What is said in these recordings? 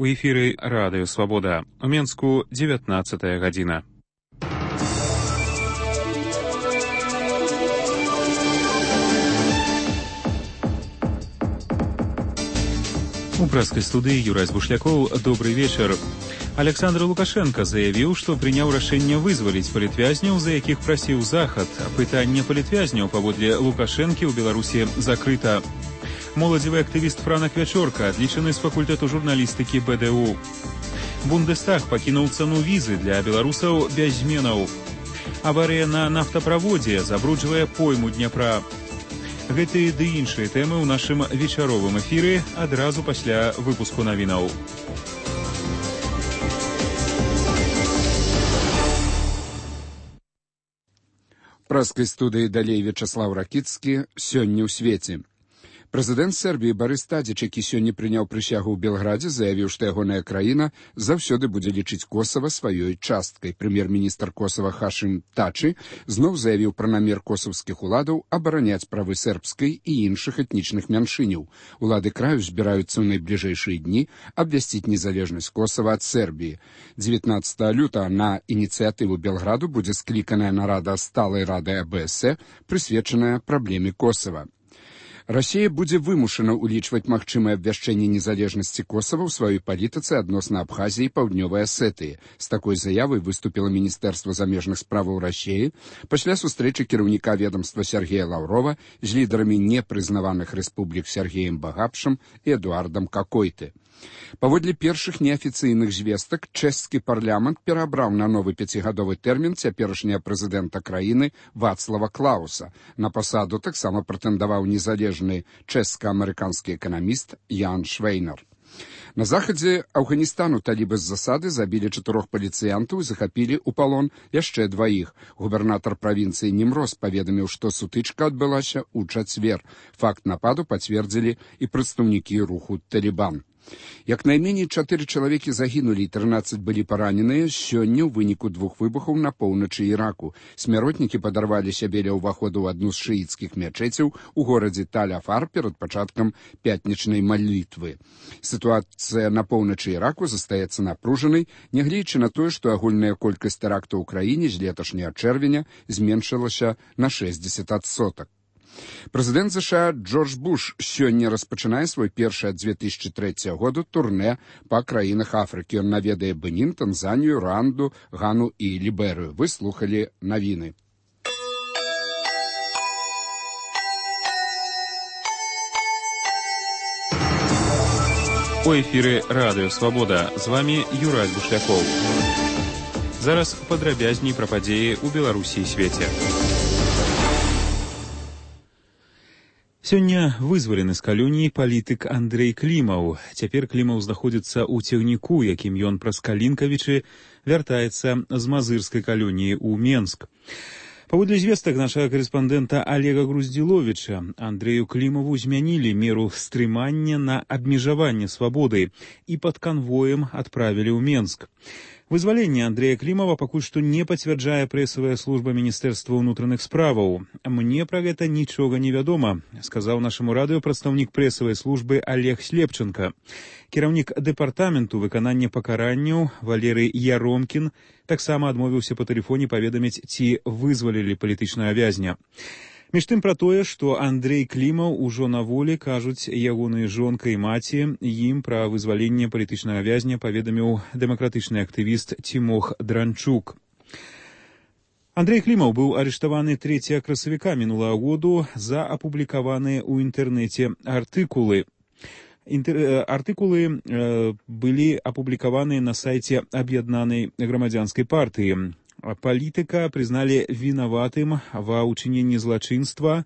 У эфіры Радыё Свабода. У Менску 19 гадзіна. У прэскай студыі Юрай Бушлякоў. Добрый вечар. Александр Лукашенко заявіў, што прыняў рашэнне вызваліць палітвязняў, за якіх прасіў Захад. Пытанне палітвязняў паводле Лукашэнкі ў Беларусі закрыта. Моладзевы актывіст Франак Вячорка адлічаны з факультэту журналістыкі БДУ. Бундестаг пакінуў цану візы для беларусаў без зменаў. Аварыя на нафтаправодзе забруджвае пойму Дняпра. Гэтыя ды іншыя тэмы ў нашым вечаровым эфіры адразу пасля выпуску навінаў. В прэскай студыі далей Вячаслаў Ракіцкі. Сёння ў свеце. Прэзідэнт Сербіі Барыс Тадзіч, які сёння прыняў прысягу ў Белградзе, заявіў, што ягоная краіна заўсёды будзе лічыць Косава сваёй часткай. Прэм'ер-міністр Косава Хашым Тачы зноў заявіў пра намер косавскіх уладаў абараняць правы сербскай і іншых этнічных мяншыняў. Улады краю збіраюцца ў найбліжэйшыя дні абвясціць незалежнасць Косава ад Сербіі. 19 лютага на ініцыятыву Белграду будзе скліканая нарада сталай рады АБС, прысвечаная праблеме Косава. Расія будзе вымушана ўлічваць магчымае абвяшчэнне незалежнасці Косава ў сваёй палітыцы адносна Абхазіі і Паўднёвай Асетыі. З такой заявай выступіла Міністэрства замежных справаў Расіі пасля сустрэчы кіраўніка ведамства Сергея Лаўрова з лідарамі непрызнаваных рэспублік Сергеем Багапшам і Эдуардам Какойты. Паводле першых неафіцыйных звестак, чэшскі парламент перабраў на новы 5гадовы тэрмін цяперашняга прэзідэнта краіны Вацлава Клауса. На пасаду таксама прэтэндаваў незалежны чэшска-амерыканскі эканаміст Ян Швейнар. На захадзе Афганістану талібы з засады забілі 4 паліцыянтаў і захапілі ў палон яшчэ 2. Губернатар правінцыі Німроз паведаміў, што сутычка адбылася ў чацвер. Факт нападу пацвердзілі і прадстаўнікі руху Талібан. Як найменей 4 чалавекі загінулі і 13 былі параненыя сёння ў выніку 2 выбухаў на поўначы Іраку. Смяротнікі падарвалі сябе ля ўваходу ў адну з шыіцкіх мячэцяў у горадзе Таль-Афар перад пачаткам пятнічнай малітвы. Сітуацыя на поўначы Іраку застаецца напружанай, нягледзячы на тое, што агульная колькасць тэрактаў у краіне з леташняга чэрвеня зменшылася на 60%. Прэзідэнт США Джордж Буш сёння распачынае свой першы ад 2003 году турнэ па краінах Афрыкі. Ён наведае Бенін, Танзанію, Руанду, Гану і Ліберыю. Вы слухалі навіны. У эфіры Радыё Свабода. З вами Юрай Бушлякоў. Зараз падрабязней пра падзеі ў Беларусі і свеце. Сёння вызвалены з калоніі палітык Андрэй Клімаў. Цяпер Клімаў знаходзіцца ў цягніку, якім ён праз Калінкавічы вяртаецца з мазырскай калоніі ў Менск. Паводле звестак нашага карэспандэнта Олега Груздзіловіча, Андрэю Клімаву змянілі меру стрымання на абмежаванне свабоды і пад канвоем адправілі ў Менск. Вызваленне Андрэя Клімава пакуль што не пацвярджае прэсавая служба Міністэрства ўнутраных справаў. Мне пра гэта нічога не вядома, сказаў нашаму радыё прадстаўнік прэсавай службы Олег Слепченко. Кіраўнік дэпартаменту выканання пакаранняў Валерый Яромкін таксама адмовіўся па тэлефоне паведаміць, ці вызвалілі палітычнага вязня. Між тым пра тое, што Андрэй Клімаў ужо на волі, кажуць ягоныя жонка і маці, ім пра вызваленне палітычнага вязня паведаміў дэмакратычны актывіст Цімох Дранчук. Андрэй Клімаў быў арыштаваны 3 красавіка мінулага году за апублікаваныя ў інтэрнэце артыкулы. Артыкулы былі апублікаваны на сайце Аб'яднанай грамадзянскай партыі. Палітыка прызналі вінаватым ва ўчыненні злачынства,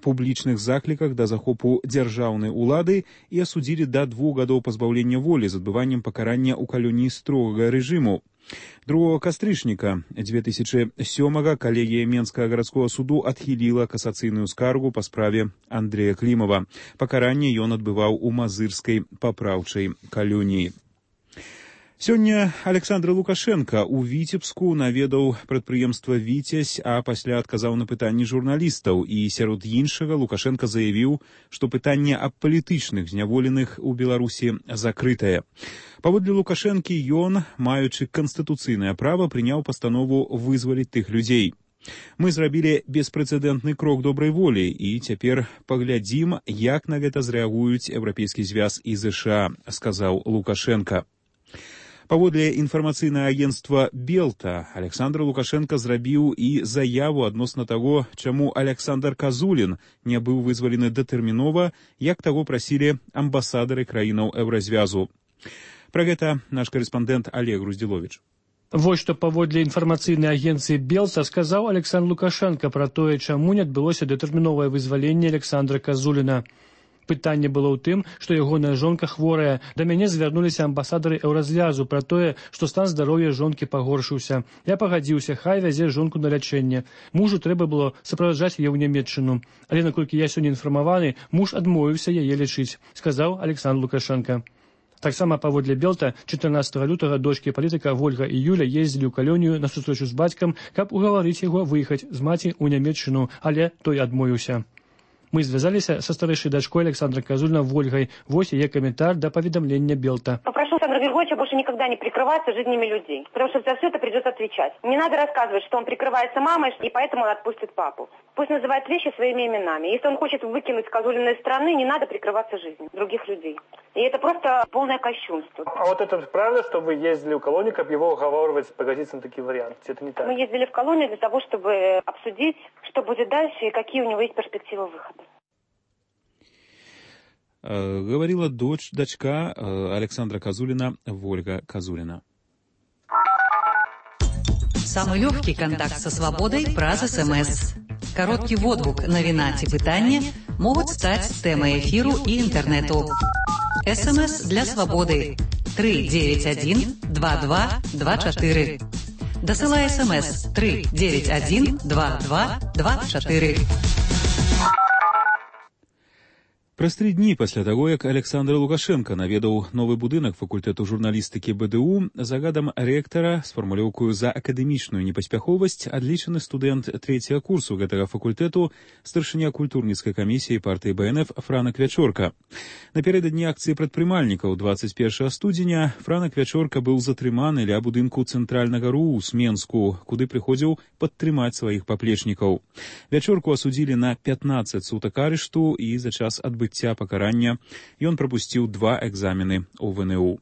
публічных закліках да захопу дзяржаўнай улады і асудзілі да 2 гадоў пазбаўлення волі з адбываннем пакарання ў калоніі строгага рэжыму. 2 кастрычніка 2007-га калегія Менскага гарадскога суду адхіліла касацыйную скаргу па справе Андрэя Клімава. Пакаранне ён адбываў у мазырскай папраўчай калоніі. Сёння Александр Лукашенко ў Віцебску наведаў прадпрыемства «Віцязь», а пасля адказаў на пытанні журналістаў. І сярод іншага Лукашенко заявіў, што пытанне аб палітычных зняволеных у Беларусі закрытае. Паводле Лукашэнкі ён, маючы канстытуцыйнае права, прыняў пастанову вызваліць тых людзей. Мы зрабілі беспрэцэдэнтны крок добрай волі, і цяпер паглядзім, як на гэта зрэагуюць Еўрапейскі звяз і ЗША, сказаў Лукашенко. Паводле інфармацыйнае агенцтва «Белта», Александр Лукашенко зрабіў і заяву адносна таго, чаму Александр Казулін не быў вызвалены датэрмінова, як таго прасілі амбасадары краінаў Еўразвязу. Пра гэта наш корэспандэнт Олег Груздзіловіч. Вось што паводле інфармацыйнай агенцыі «Белта» сказаў Александр Лукашенко пра тое, чаму не адбылося датэрміновае вызваленне Александра Казуліна. Пытанне было ў тым, што ягоная жонка хворая. Да мяне звярнуліся амбасадары Еўразвязу пра тое, што стан здароўя жонкі пагоршыўся. Я пагадзіўся, хай вязе жонку на лячэнне. Мужу трэба было суправаджаць яе ў Нямецчыну. Але наколькі я сёння інфармаваны, муж адмовіўся яе лечыць, сказаў Александр Лукашенко. Таксама паводле «Белта» 14 лютага дочкі палітыка Вольга і Юля ездзілі ў калонію на сустрэчу з бацькам, каб угаварыць яго выехаць з маці ў Нямецчыну, але той адмовіўся. Мы звязаліся са старэйшай дачкой Александра Казулина Вольгой. Вось яе каментар да паведамлення «Белта». Попрошу Александра Григорьевича больше никогда не прикрываться жизнями людей, потому что за все это придется отвечать. Не надо рассказывать, что он прикрывается мамой, и поэтому он отпустит папу. Пусть называет вещи своими именами. Если он хочет выкинуть Казулина из страны, не надо прикрываться жизнью других людей. И это просто полное кощунство. А вот это правда, что вы ездили в колонию, как его уговаривать погодиться на такие варианты? Это не так? Мы ездили в колонию для того, чтобы обсудить, что будет дальше и какие у него есть перспективы выхода. Говорила дочка Александра Казулина, Вольга Казулина. Самый легкий контакт со свободой праз СМС. Короткий водгук, навіна ці пытанне могуць стаць тэмай эфіру і інтэрнэту. СМС для свободы 391 2224. Дасылай СМС 391 2224. Праз 3 дні пасля таго, як Александр Лукашенко наведаў новы будынак факультэту журналістыкі БДУ, загадам рэктара з фармулёўкаю за акадэмічную непаспяховасць адлічаны студэнт 3-го курсу гэтага факультэту, старшыня культурніцкай камісіі партыі БНФ Франак Вячорка. Напярэдадні акцыі прадпрымальнікаў 21 студзеня Франак Вячорка быў затрыманы ля будынку цэнтральнага РУ з Менску, куды прыходзіў падтрымаць сваіх паплечнікаў. Вячорку асудзілі на 15 сутак арышту і за час адбыцця пакарання ён прапусціў 2 экзамены ў ВНУ.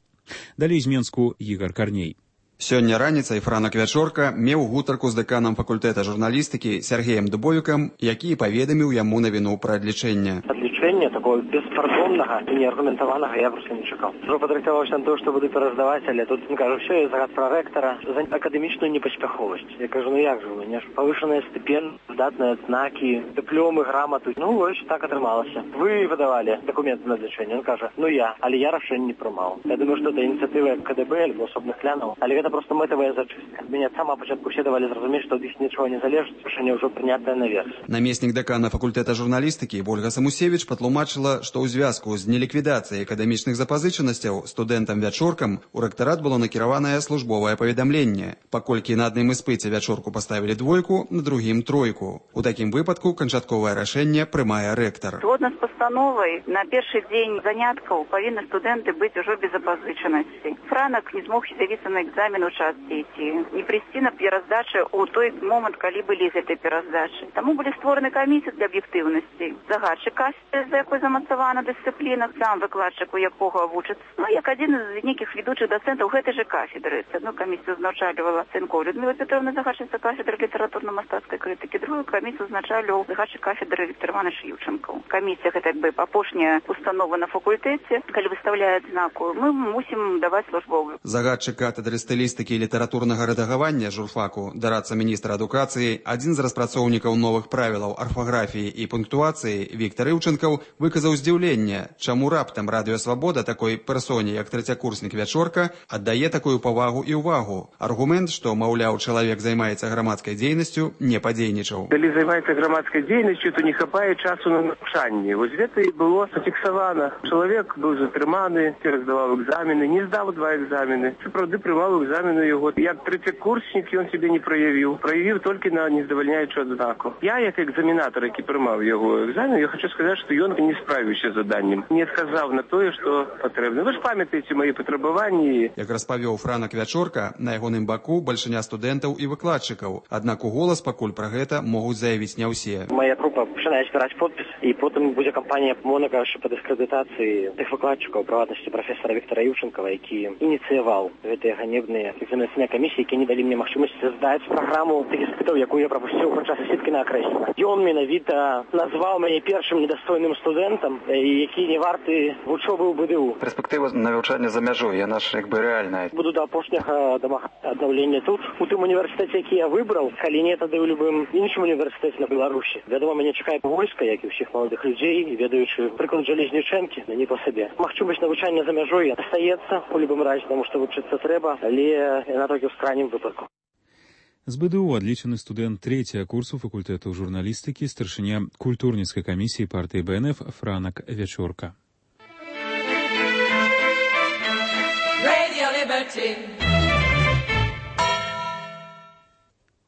Далей з Менску Ігар Карней. Сёння раніцай Франак Вячорка меў гутарку з дэканам факультэта журналістыкі Сергеем Дубовікам, які паведаміў яму навіну пра адлічэнне. Адлічэння такого беспардоннага і неаргументаванага я проста не чакаў. Ужо падрыхтаваўся на тое, што буду пераздаваць, але тут кажу, ўсё, я загад пра рэктара за акадэмічную непаспяховасць. Я кажу, ну як жа вы, не ж павышаныя стыпендыі, здатныя адзнакі, дыпломы, граматы. Ну вось так атрымалася. Вы выдавалі дакументы на адлічэнне. Ён кажа, ну я, але я рашэнне не прымаў. Я думаю, што это ініцыятыва КДБ альбо асобных кланаў, але гэта просто мэтавая зачыстка. Мяне сама пачатку все давалі зразумець, што ад іх нічого не залежыць, рашэнне ўжо прынятае наверх. Намеснік дэкана факультэта журналістыкі Ольга Самусевіч патлумачыла, што ў звязку з неліквідацыяй акадэмічных запазычанасцяў студэнтам Вячоркам у рэктарат было накіраванае службовае паведамленне. Паколькі на адным іспыце Вячорку паставілі 2, на другім 3. У такім выпадку канчатковае рашэнне прымае рэктар. Згодна з пастановай, на першы дзень заняткаў павінны студэнты быць ужо без запазычанасці. Франак не змог з'явіцца на экзамен у час дзеці, не прыйсці на пераздачы ў той момант, калі былі з гэтай пераздачы. Таму былі створаны камісіі для аб'ектыўнасці. Загадчык кафедры, за якой замацавана дысцыпліна, сам выкладчык, у якога вучыцца. Ну, як адзін з нейкіх ведучых дацэнтаў гэтай жа кафедры. Одну камісію узначальвала Цэнкова Людмила Петровна, загадчыца кафедры літаратурна-мастацкай крытыкі, другую камісію узначальваў загадчык кафедры Віктор Іванович Юченко. Камісія гэта як бы апошняя установа на факультэце, калі выставляе адзнаку, мы мусім даваць службовую. Загадчык кафедры стылістыкі і літаратурнага рэдагавання журфаку, дарадца міністра адукацыі, адзін з распрацоўнікаў новых правілаў арфаграфіі і пунктуацыі Віктор Іўченко журналістаў выказаў здзіўленне, чаму раптам Радыё Свабода такой персоне, як трэцякурснік Вячорка, аддае такую павагу і ўвагу. Аргумент, што, маўляў, чалавек займаецца грамадскай дзейнасцю, не падзейнічаў. Калі займаецца грамадскай дзейнасцю, то не хапае часу на навучанне. Вось гэта і было зафіксавана. Чалавек быў затрыманы, здаваў экзамены, не здаў 2 экзамены. Сапраўды прымаў экзамены яго. Як трэцякурснік ён сябе не праявіў. Праявіў толькі на нездавальняючую адзнаку. Я, як экзаменатар, які прымаў яго экзамен, я хочу сказаць, што ён не справіўся з заданнем. Не адказаў на тое, што патрэбна. Вы ж памятаеце мае патрабаванні. Як распавёў Франак Вячорка, на ягоным баку бальшыня студэнтаў і выкладчыкаў. Аднак у голас пакуль пра гэта могуць заявіць не ўсе. Моя група пачынае збіраць подпіс, і потым будзе кампанія Монака па дыскрэдытацыі тых выкладчыкаў, прыватнасці прафесара Віктора Юўчэнкава, які ініцыяваў гэтыя ганебныя экзаменацыйныя камісіі, які не далі мне магчымасць здаць праграму тых іспытаў, якую я прапусціў падчас сеткі на акрэсла. Ён менавіта назваў мяне першым недастойным студэнтам, які не варты вучобы ў БДУ. Перспектыва навучання за мяжой, яна ж як бы рэальная. Буду да апошняга аднаўлення тут, у тым універсітэце, які я выбраў, калі не, тады ў любым іншым універсітэце на Беларусі. Вядома, мяне чакае войска, як і ўсіх маладых людзей, ведаючы прыклад Жалезнічэнкі, не па сабе. Магчымасць навучання за мяжой астаецца у любым разе, таму што вучыцца трэба, але яна толькі ў крайнім выпадку. З БДУ адлічаны студэнт 3-го курсу факультэту журналістыкі, старшыня культурніцкай камісіі партыі БНФ Франак Вячорка.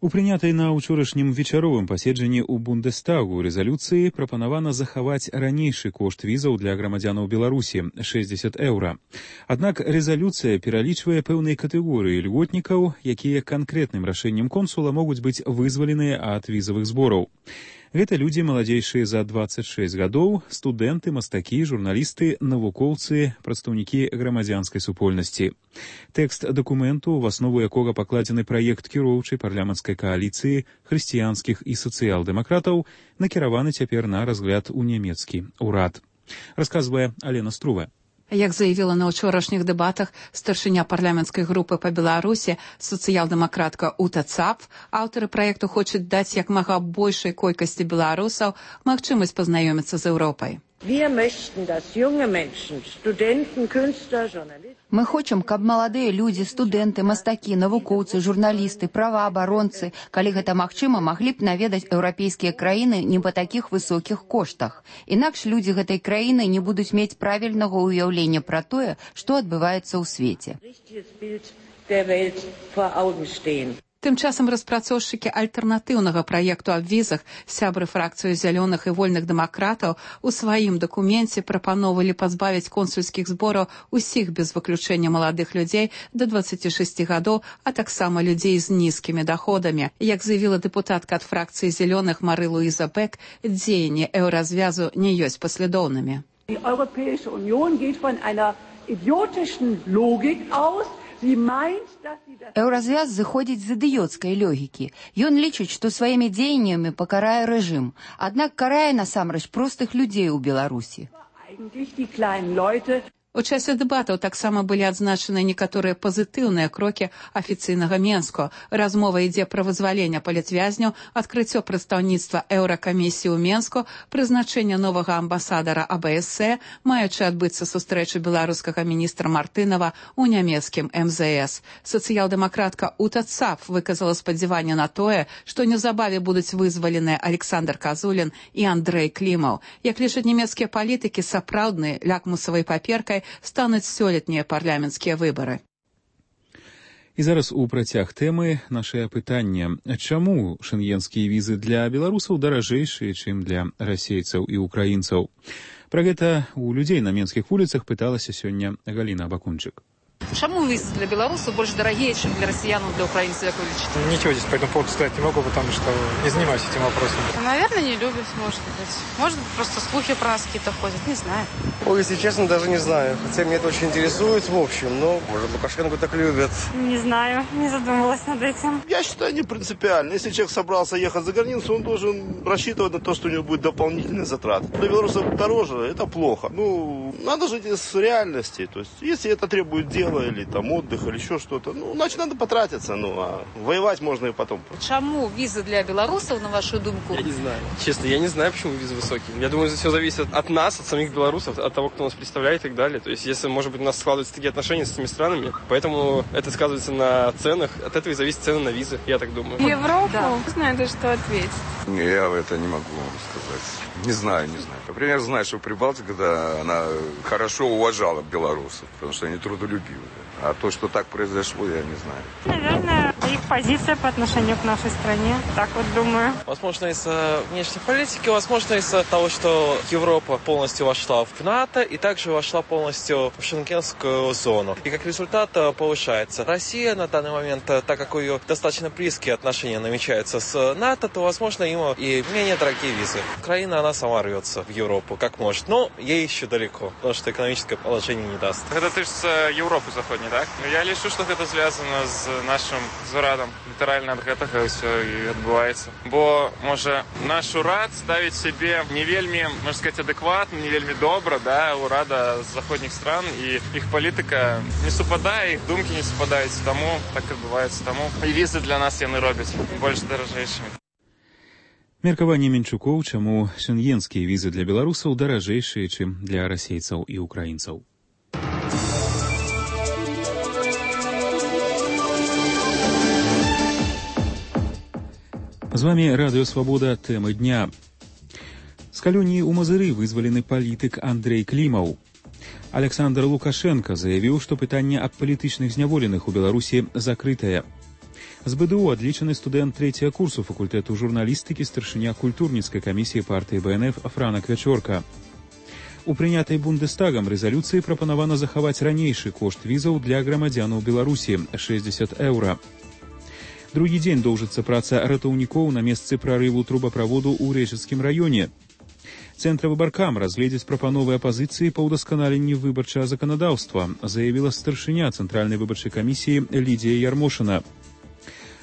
У прынятай на ўчорашнім вечаровым паседжанні ў Бундестагу рэзалюцыі прапанавана захаваць ранейшы кошт візаў для грамадзянаў Беларусі – 60 еўра. Аднак рэзалюцыя пералічвае пэўныя катэгорыі льготнікаў, якія канкрэтным рашэннем консула могуць быць вызваленыя ад візавых збораў. Гэта людзі маладзейшыя за 26 гадоў, студэнты, мастакі, журналісты, навукоўцы, прадстаўнікі грамадзянскай супольнасці. Тэкст дакументу, в аснову якога пакладзены праект кіроўчай парламенцкай кааліцыі хрысціянскіх і сацыял-дэмакратаў, накіраваны цяпер на разгляд у нямецкі ўрад. Расказвае Алена Струва. Як заявіла на ўчорашніх дэбатах старшыня парламенцкай групы па Беларусі, сацыял-дэмакратка Ута Цапф, аўтары праекту хочуць даць як мага большай колькасці беларусаў магчымасць пазнаёміцца з Еўропай. Мы хочам, каб маладыя людзі, студэнты, мастакі, навукоўцы, журналісты, праваабаронцы, калі гэта магчыма, маглі б наведаць еўрапейскія краіны не па такіх высокіх коштах. Інакш людзі гэтай краіны не будуць мець правільнага ўяўлення пра тое, што адбываецца ў свеце. Тым часам распрацоўшчыкі альтэрнатыўнага праекту аб візах, сябры фракцыі зялёных і вольных дэмакратаў, у сваім дакуменце прапаноўвалі пазбавіць консульскіх збораў усіх без выключэння маладых людзей да 26 гадоў, а таксама людзей з нізкімі даходамі. Як заявіла дэпутатка ад фракцыі зялёных Мары Луіза Бек, дзеянні еўразвязу не ёсць паслядоўнымі. Die Europäische Union geht von einer idiotischen Logik aus. Еўразвяз зыходзіць з ідыёцкай логікі. Ён лічыць, што сваімі дзеяннямі пакарае рэжым, аднак карае насамрэч простых людзей у Беларусі. У часе дэбатаў таксама былі адзначаны некаторыя пазітыўныя крокі афіцыйнага Менску. Размова ідзе пра вызваленне палітвязняў, адкрыццё прадстаўніцтва Еўракамісіі ў Менску, прызначэнне новага амбасадара АБС, маючы адбыцца сустрэча беларускага міністра Мартынова ў нямецкім МЗС. Сацыял-дэмакратка Ута Цапф выказала спадзяванне на тое, што неўзабаве будуць вызваленыя Александр Казулін і Андрэй Клімаў. Як лічаць нямецкія палітыкі, сапраўднай лакмусавай паперкай стануць сёлетнія парламенцкія выбары. І зараз у працяг тэмы нашае пытанне. Чаму шэнгенскія візы для беларусаў даражэйшыя, чым для расейцаў і украінцаў? Пра гэта у людзей на менскіх вуліцах пыталася сёння Галіна Бакунчык. Чему визы для белорусов больше дорогие, чем для россиян, для украинцев, как вы лечите? Ничего здесь по этому поводу сказать не могу, потому что не занимаюсь этим вопросом. Наверное, не любят, может быть. Может быть, просто слухи про нас какие-то ходят, не знаю. Ой, если честно, даже не знаю. Хотя меня это очень интересует в общем, но, может, Лукашенко так любят. Не знаю, не задумывалась над этим. Я считаю, не принципиально. Если человек собрался ехать за границу, он должен рассчитывать на то, что у него будет дополнительный затрат. Для белорусов дороже, это плохо. Надо жить из реальности. То есть, если это требует дела, дело, или там отдых, или еще что-то. Ну, значит, надо потратиться, а воевать можно и потом. Чему визы для белорусов, на вашу думку? Я не знаю. Честно, я не знаю, почему визы высокие. Я думаю, это все зависит от нас, от самих белорусов, от того, кто нас представляет и так далее. То есть, если, может быть, у нас складываются такие отношения с этими странами, поэтому это сказывается на ценах. От этого и зависит цены на визы, я так думаю. Европу? Да. Не знаю даже, что ответить. Я это не могу вам сказать. Не знаю. Например, знаю, что Прибалтика, да, она хорошо уважала белорусов, потому что они трудолюбивые. А то, что так произошло, я не знаю. Наверное, их позиция по отношению к нашей стране. Так вот думаю. Возможно, из-за внешней политики, возможно, из-за того, что Европа полностью вошла в НАТО и также вошла полностью в шенгенскую зону. И как результат повышается Россия на данный момент, так как у нее достаточно близкие отношения намечаются с НАТО, то, возможно, ему и менее дорогие визы. Украина, она сама рвется в Европу, как может. Но ей еще далеко, потому что экономическое положение не даст. Это ты з Європи заходній, так? Я лічу, що це зв'язано з нашим зрадом. Літерально від гэтага все і відбувається. Бо, може, наш урад ставить себе не вельми, можна сказати, адекватно, не вельми добро, да, урада з заходніх стран, і їх політика не супадає, їх думки не супадають, тому так відбувається. Тому і візи для нас яны роблять більш дорожейшими. Меркаванне Менчукоў, чаму шенгенскія візы для беларусаў даражэйшыя, чым для расейцаў і украінцаў. З вами Радыё Свабода, тэмы дня. З калоніі ў Мазыры вызвалены палітык Андрэй Клімаў. Александр Лукашенко заявіў, што пытанне аб палітычных зняволеных у Беларусі закрытае. З БДУ адлічаны студэнт 3-го курсу факультэту журналістыкі, старшыня культурніцкай камісіі партыі БНФ Франак Вячорка. У прынятай Бундестагам рэзалюцыі прапанавана захаваць ранейшы кошт візаў для грамадзянаў Беларусі – 60 еўра. Другі дзень доўжыцца праца ратаўнікоў на месцы прарыву трубаправоду ў Рэчыцкім раёне. Цэнтравыбаркам разгледзець прапановы апазіцыі па ўдасканаленні выбарчага заканадаўства, заявіла старшыня Цэнтральнай выбарчай камісіі Лідія Ярмошына.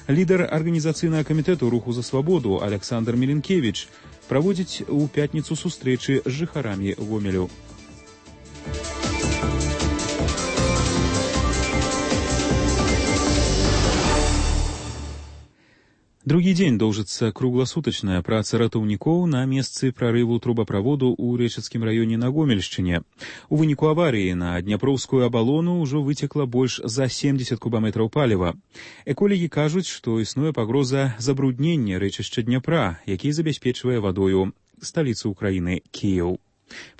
Лідар арганізацыйнага камітэту руху за свабоду Александр Меленкевич праводзіць у пятніцу сустрэчы з жыхарамі Гомелю. Другі дзень доўжыцца кругласутачная праца ратаўнікоў на месцы прарыву трубаправоду ў Рэчыцкім раёне на Гомельшчыне. У выніку аварыі на Дняпроўскую абалону ўжо выцекла больш за 70 кубаметраў паліва. Эколагі кажуць, што існуе пагроза забруднення рэчышча Дняпра, які забяспечвае вадою сталіцу ўкраіны Кіеў.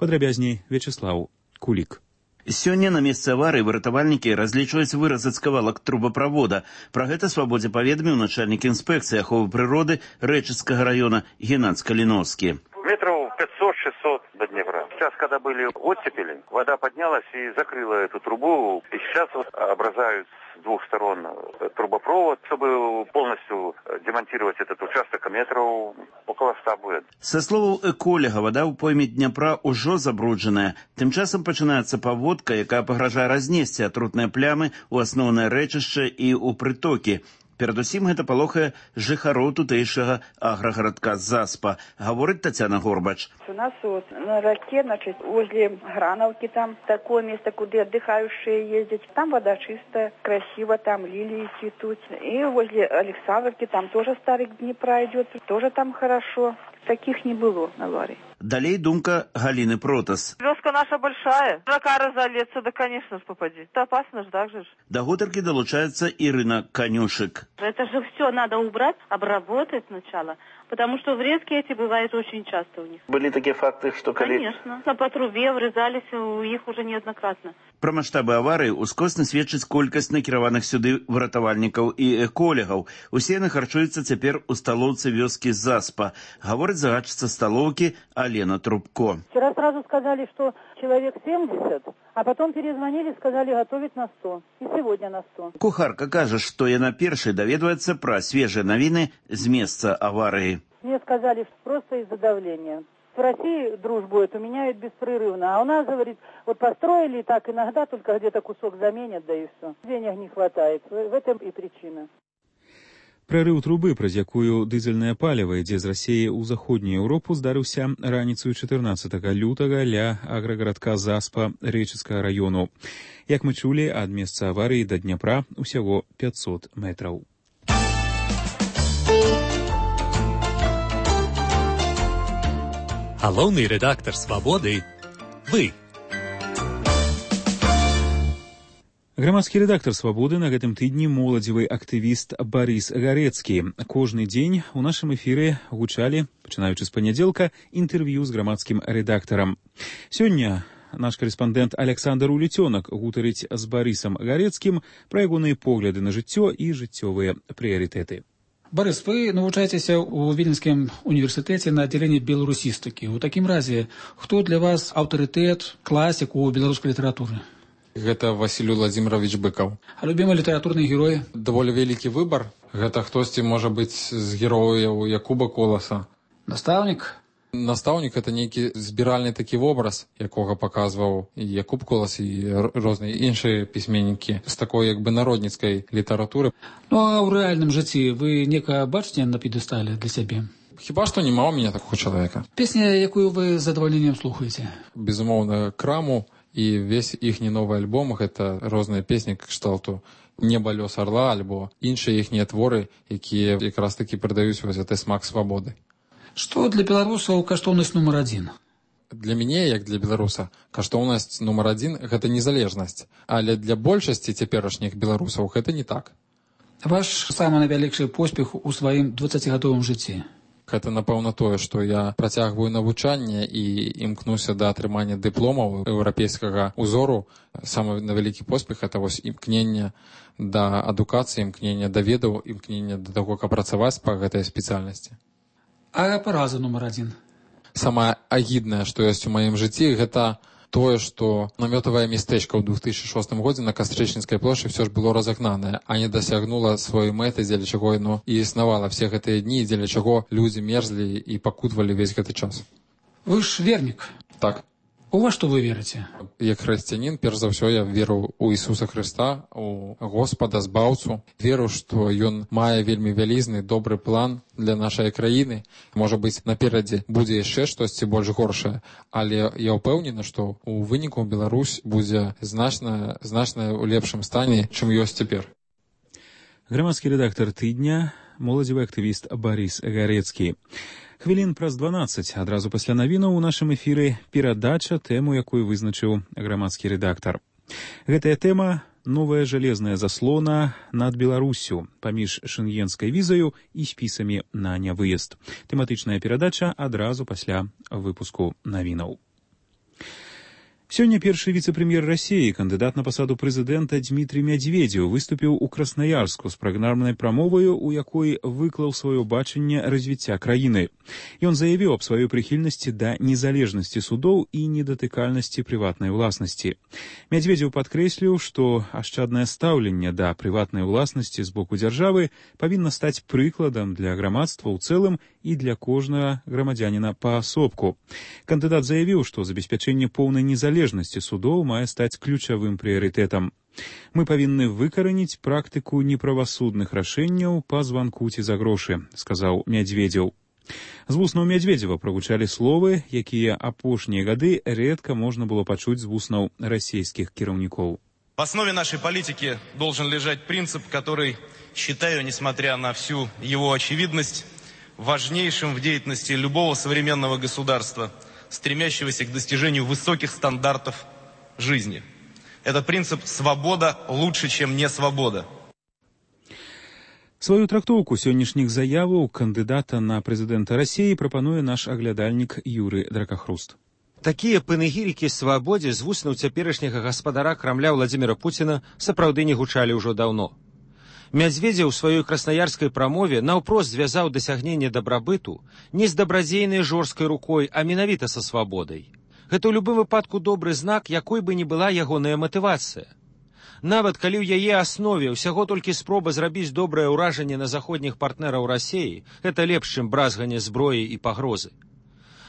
Падрабязней Вячеслаў Кулік. Сёння на месцы аварыі выратавальнікі разлічваюць выразаць кавалак трубаправода. Пра гэта Свабодзе паведаміў начальнік інспекцыі аховы прыроды Рэчыцкага раёна Геннадзь Каліновскі. Метров 500-600 до Днепра. Сейчас, когда были оттепели, вода поднялась и закрыла эту трубу. И сейчас вот образуют с двух сторон трубопровод, чтобы полностью демонтировать этот участок, метров около 100 будет. Са словаў эколага, вода ў пойме Дняпра ўжо забруджаная. Тым часам пачынаецца паводка, якая пагражае разнесці атрутныя плямы ў асноўнае рэчышча і ў прытокі. Перадусім гэта палохае жыхароў тутэйшага аграгарадка Заспа, гаворыць Тацяна Горбач. У нас вот на реке, значит, возле Грановки там такое место, куда отдыхающие ездят. Там вода чистая, красиво, там лилии цветут. И возле Александровки там тоже старый Днепра идет, тоже там хорошо. Таких не было аварий. Далей думка Галины Протас. Вёска наша большая. Рака разолеться, да, конечно, попади. Это опасно же, так же. До гутарки долучается Ирина Конюшек. Это же все надо убрать, обработать сначала. Потому что врезки эти бывают очень часто у них. Были такие факты, что... Конечно. По трубе врезались у них уже неоднократно. Пра маштабы аварыі ускосна сведчыць колькасць накіраваных сюды выратавальнікаў і эколегаў. Усе яны харчуюцца цяпер у сталоўцы вёскі Заспа. Гаворыць загадчыца сталоўкі Алена Трубко. Вчера сразу сказали, что человек 70, а потом перезвонили, сказали готовить на 100. И сегодня на 100. Кухарка кажа, што яна першай даведваецца пра свежыя навіны з месца аварыі. Мне сказали, что просто из-за давления. В России дружбу эту меняют беспрерывно, а у нас, говорит, вот построили так, иногда только где-то кусок заменят, да и все. Денег не хватает. В этом и причина. Прарыў трубы, праз якую дызельнае паліва ідзе з Расіі ў заходнюю Еўропу, здарыўся раніцаю 14 лютага ля аграгарадка Заспа Рэчыцкага раёну. Як мы чулі, ад месца аварыі да Дняпра усяго 500 метраў. Галоўны рэдактар «Свабоды» – вы. Грамадскі рэдактар «Свабоды» на гэтым тыдні моладзевы актывіст Барыс Гарэцкі. Кожны дзень у нашым эфіры гучалі, пачынаючы з панядзелка, інтэрв'ю з грамадскім рэдактарам. Сёння наш карэспандэнт Александр Улецёнак гутарыць з Барысам Гарэцкім пра ягоныя погляды на жыццё і жыццёвыя прыярытэты. Борис, вы навучаецеся ў Віленскім універсітэце на аддзяленні беларусістыкі. У такім разе, хто для вас аўтарытэт, класік у беларускай літаратуры? Гэта Васіль Владзімірович Быкаў. А любімы літаратурны герой? Даволі вялікі выбар. Гэта хтосьці можа быць з герояў Якуба Коласа. Настаўнік? Настаўнік — гэта нейкі збіральны такі вобраз, якога паказваў і Якуб Колас, і розныя іншыя пісьменнікі з такой як бы народніцкай літаратуры. Ну а ў рэальным жыцці вы некага бачыце на п'едэстале для сябе? Хіба што няма ў мяне такога чалавека. Песня, якую вы з задавальненнем слухаеце? Безумоўна, Краму і весь іхні новы альбом — гэта розныя песні кшталту «Неба, лёс арла» альбо іншыя іхнія творы, якія якраз такі прыдаюць вось гэты смак свабоды. Што для беларусаў каштоўнасць нумар адзін? Для мяне, як для беларуса, каштоўнасць нумар адзін — гэта незалежнасць. Але для большасці цяперашніх беларусаў гэта не так. Ваш самы найвялікшы поспех у сваім 20-гадовым жыцці? Гэта, напэўна, тое, што я працягваю навучанне і імкнуся да атрымання дыпломаў еўрапейскага ўзору. Самы вялікі поспех — гэта вось імкненне да адукацыі, імкненне да ведаў, імкненне да таго, каб працаваць па гэтай спецыяльнасці. А параза нумар адзін? Самае агіднае, што ёсць у маім жыцці, гэта тое, што намётавае мястэчка ў 2006 годзе на Кастрычніцкай плошчы ўсё ж было разагнанае, а не дасягнула сваёй мэты, дзеля чаго яно і існавала все гэтыя дні, дзеля чаго людзі мерзлі і пакутвалі весь гэты час. Вы ж вернік? Так. У вас што вы верыце? Як хрысціянін, перш за ўсё я веру ў Ісуса Хрыста, у Господа Збаўцу. Веру, што Ён мае вельмі вялізны добры план для нашай краіны. Можа быць, наперадзе будзе яшчэ штосьці больш горшае, але я ўпэўнены, што ў выніку Беларусь будзе значна ў лепшым стане, чым ёсць цяпер. Грамадскі рэдактар тыдня, моладзевы актывіст Барыс Гарэцкі. Хвілін праз 12, адразу пасля навінаў у нашым эфіры перадача, тэму, якую вызначыў грамадскі рэдактар. Гэтая тэма — новая жалезная заслона над Беларуссю паміж шэнгенскай візаю і спісамі на нявыезд. Тэматычная перадача адразу пасля выпуску навінаў. Сёння першы віцэ-прэм'ер Расіі, кандыдат на пасаду прэзідэнта Дмітрый Мядзведзеў выступіў у Краснаярску з праграмнай прамоваю, у якой выклаў сваё бачанне развіцця краіны. Ён заявіў аб сваёй прыхільнасці да незалежнасці судоў і недатыкальнасці прыватнай уласнасці. Мядзведзеў падкрэсліў, што ашчаднае стаўленне да прыватнай уласнасці з боку дзяржавы павінна стаць прыкладам для грамадства ў цэлым і для кожнага грамадзяніна паасобку. Кандыдат заявіў, што забеспячэнне поўнай незалежнасці судоў мае стаць ключавым прыярытэтам. Мы павінны выкараніць практыку неправасудных рашэнняў па званку ці за грошы, сказаў Мядзведзеў. З вуснаў Мядзведзева прагучалі словы, якія апошнія гады рэдка можна было пачуць з вуснаў расійскіх кіраўнікоў. В основе нашей политики должен лежать принцип, который, считаю, несмотря на всю его очевидность, важнейшим в деятельности любого современного государства, стремящегося к достижению высоких стандартов жизни. Это принцип «свобода лучше, чем не свобода». Сваю трактоўку сённяшніх заяваў кандыдата на прэзідэнта Расіі прапануе наш аглядальнік Юры Дракахруст. Такія панегірыкі свабодзе з вуснаў цяперашняга гаспадара Крамля Владзіміра Пуціна сапраўды не гучалі ўжо даўно. Мядзведзеў у сваёй краснаярскай прамове наўпрост звязаў дасягненне дабрабыту не з дабрадзейнай жорсткай рукой, а менавіта са свабодай. Гэта ў любым выпадку добры знак, якой бы ні была ягоная матывацыя. Нават калі ў яе аснове ўсяго толькі спроба зрабіць добрае ўражанне на заходніх партнераў Расіі, гэта лепш, чым бразганне зброі і пагрозы.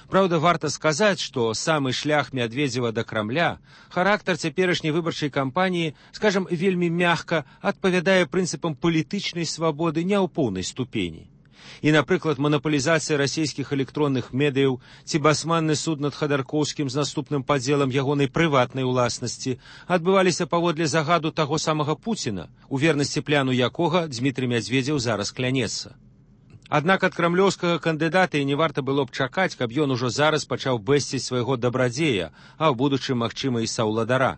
Праўда, варта сказаць, што самы шлях Мядведзева да Крамля, характар цяперашняй выбарчай кампаніі, скажам, вельмі мякка адпавядае прынцыпам палітычнай свабоды не ў поўнай ступені. І, напрыклад, манапалізацыя расійскіх электронных медыяў ці басманны суд над Хадаркоўскім з наступным падзелам ягонай прыватнай уласнасці адбываліся паводле загаду таго самага Пуціна, у вернасці пляну якога Дзмітрый Мядзведзеў зараз клянецца. Аднак ад крамлёўскага кандыдата і не варта было б чакаць, каб ён ужо зараз пачаў бэсціць свайго дабрадзея, а ў будучым, магчыма, і саўладара.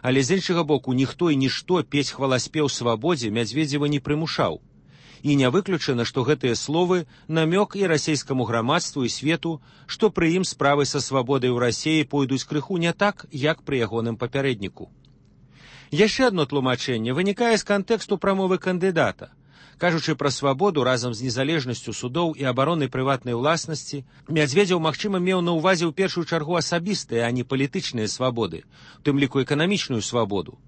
Але з іншага боку, ніхто і нішто пець хваласпеў свабодзе Мядзведзева не прымушаў. І не выключана, што гэтыя словы намёк і расійскаму грамадству і свету, што пры ім справы са свабодай ў Расіі пойдуць крыху не так, як пры ягоным папярэдніку. Яшчэ адно тлумачэнне вынікае з кантэксту прамовы кандыдата. Кажучы пра свабоду разам з незалежнасцю судоў і абаронай прыватнай уласнасці, Мядзведзеў, магчыма, меў на ўвазе ў першую чаргу асабістыя, а не палітычныя свабоды, у тым ліку эканамічную свабоду.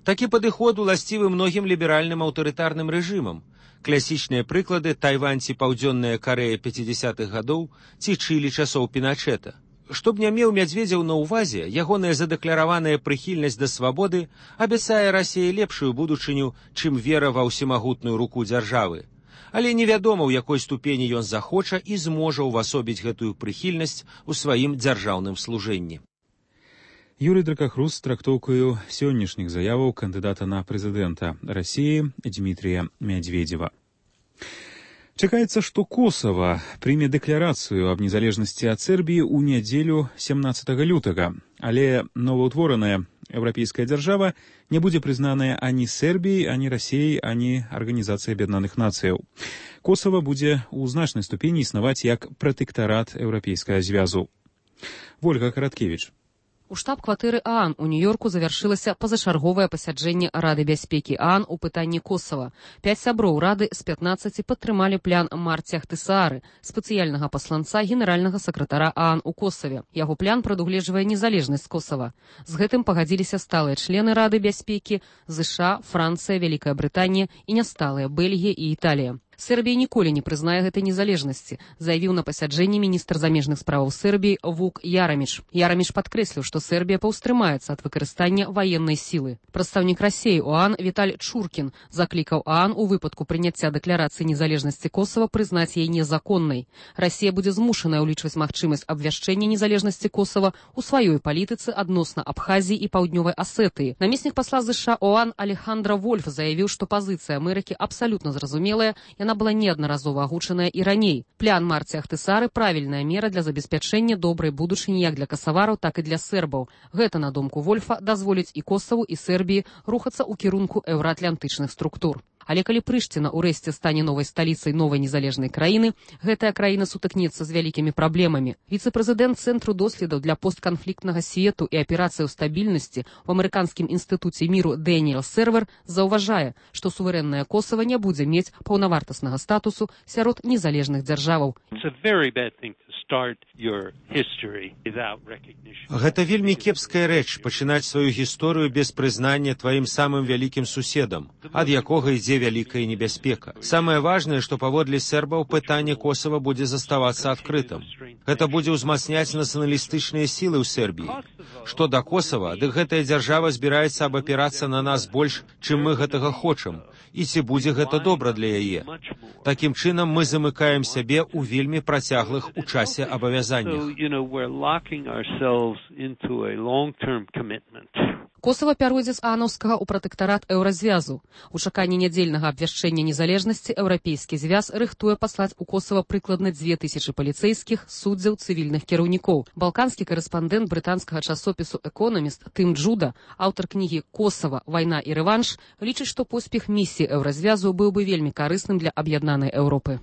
Такі падыход уласцівы многім ліберальным аўтарытарным рэжымам. Класічныя прыклады Тайвань ці Паўдзённая Карэя 50-х гадоў ці Чылі часоў Піначэта. Што б не меў Мядзведзеў на ўвазе, ягоная задэклараваная прыхільнасць да свабоды абяцае Расіі лепшую будучыню, чым вера ва ўсемагутную руку дзяржавы. Але невядома, у якой ступені ён захоча і зможа ўвасобіць гэтую прыхільнасць у сваім дзяржаўным служэнні. Юрий Дракахрус з трактоўкаю сённяшніх заяваў кандыдата на прэзідэнта Расіі Дзмітрія Мядзведзева. Чакаецца, што Косава прыме дэкларацыю аб незалежнасці ад Сербіі ў нядзелю 17 лютага, але новаўтвораная еўрапейская дзяржава не будзе прызнаная ані Сербіяй, ані Расіяй, ані Арганізацыяй Аб'яднаных Нацыяў. Косава будзе ў значнай ступені існаваць як пратэктарат Еўрапейскага звязу. Вольга Караткевіч. У штаб-кватэры ААН у Нью-Йорку завяршылася пазачарговае пасяджэнне Рады бяспекі ААН у пытанні Косава. 5 сяброў Рады з 15 падтрымалі план Марці Ахтысаары, спецыяльнага пасланца генеральнага сакратара ААН у Косаве. Яго план прадугледжвае незалежнасць Косава. З гэтым пагадзіліся сталыя члены Рады бяспекі ЗША, Францыя, Вялікая Брытанія і нясталыя Бельгія і Італія. Сербія ніколі не прызнае гэтай незалежнасці, заявіў на пасяджэнні міністр замежных справаў Сербіі Вук Яраміч. Яраміч падкрэсліў, што Сербія паўстрымаецца ад выкарыстання ваеннай сілы. Прадстаўнік Расіі ў ААН Віталь Чуркін заклікаў ААН у выпадку прыняцця дэкларацыі незалежнасці Косава прызнаць яе незаконнай. Расія будзе змушаная ўлічваць магчымасць абвяшчэння незалежнасці Косава ў сваёй палітыцы адносна Абхазіі і Паўднёвай Асетыі. Намеснік пасла ЗША ОАН Алехандра Вольф заявіў, што пазіцыя Амерыкі абсалютна зразумелая, яна была неаднаразова агучаная і раней. План Марці Ахтысаары правільная мера для забеспячэння добрай будучыні як для касавараў, так і для сербаў. Гэта, на думку Вольфа, дазволіць і Косаву, і Сербіі рухацца ў кірунку еўраатлантычных структур. Але калі Прышціна ўрэшце стане новай сталіцай новай незалежнай краіны, гэтая краіна сутыкнецца з вялікімі праблемамі. Віцэ-прэзідэнт Цэнтру доследаў для постканфліктнага свету і аперацыяў стабільнасці ў амерыканскім інстытуце міру Дэніел Сервер заўважае, што суверэнная Косава не будзе мець паўнавартаснага статусу сярод незалежных дзяржаваў. Гэта вельмі кепская рэч пачынаць сваю гісторыю без прызнання тваім самым вялікім суседам, ад якога ідзе вялікая небяспека. Самае важнае, што паводле сербаў пытанне Косава будзе заставацца адкрытым. Гэта будзе ўзмацняць нацыяналістычныя сілы ў Сербіі. Што да Косава, дык гэтая дзяржава збіраецца абапірацца на нас больш, чым мы гэтага хочам. І ці будзе гэта добра для яе. Такім чынам мы замыкаем сябе ў вельмі працяглых у часе абавязаннях. Косава пяройдзе з аанаўскага ў пратэктарат Еўразвязу. У чаканні нядзельнага абвяшчэння незалежнасці Еўрапейскі звяз рыхтуе паслаць у Косава прыкладна 2000 паліцэйскіх, суддзяў, цывільных кіраўнікоў. Балканскі карэспандэнт брытанскага часопісу «Экономіст» Тым Джуда, аўтар кнігі «Косава. Вайна і рэванш», лічыць, што поспех місіі Еўразвязу быў бы вельмі карысным для аб'яднанай Еўропы.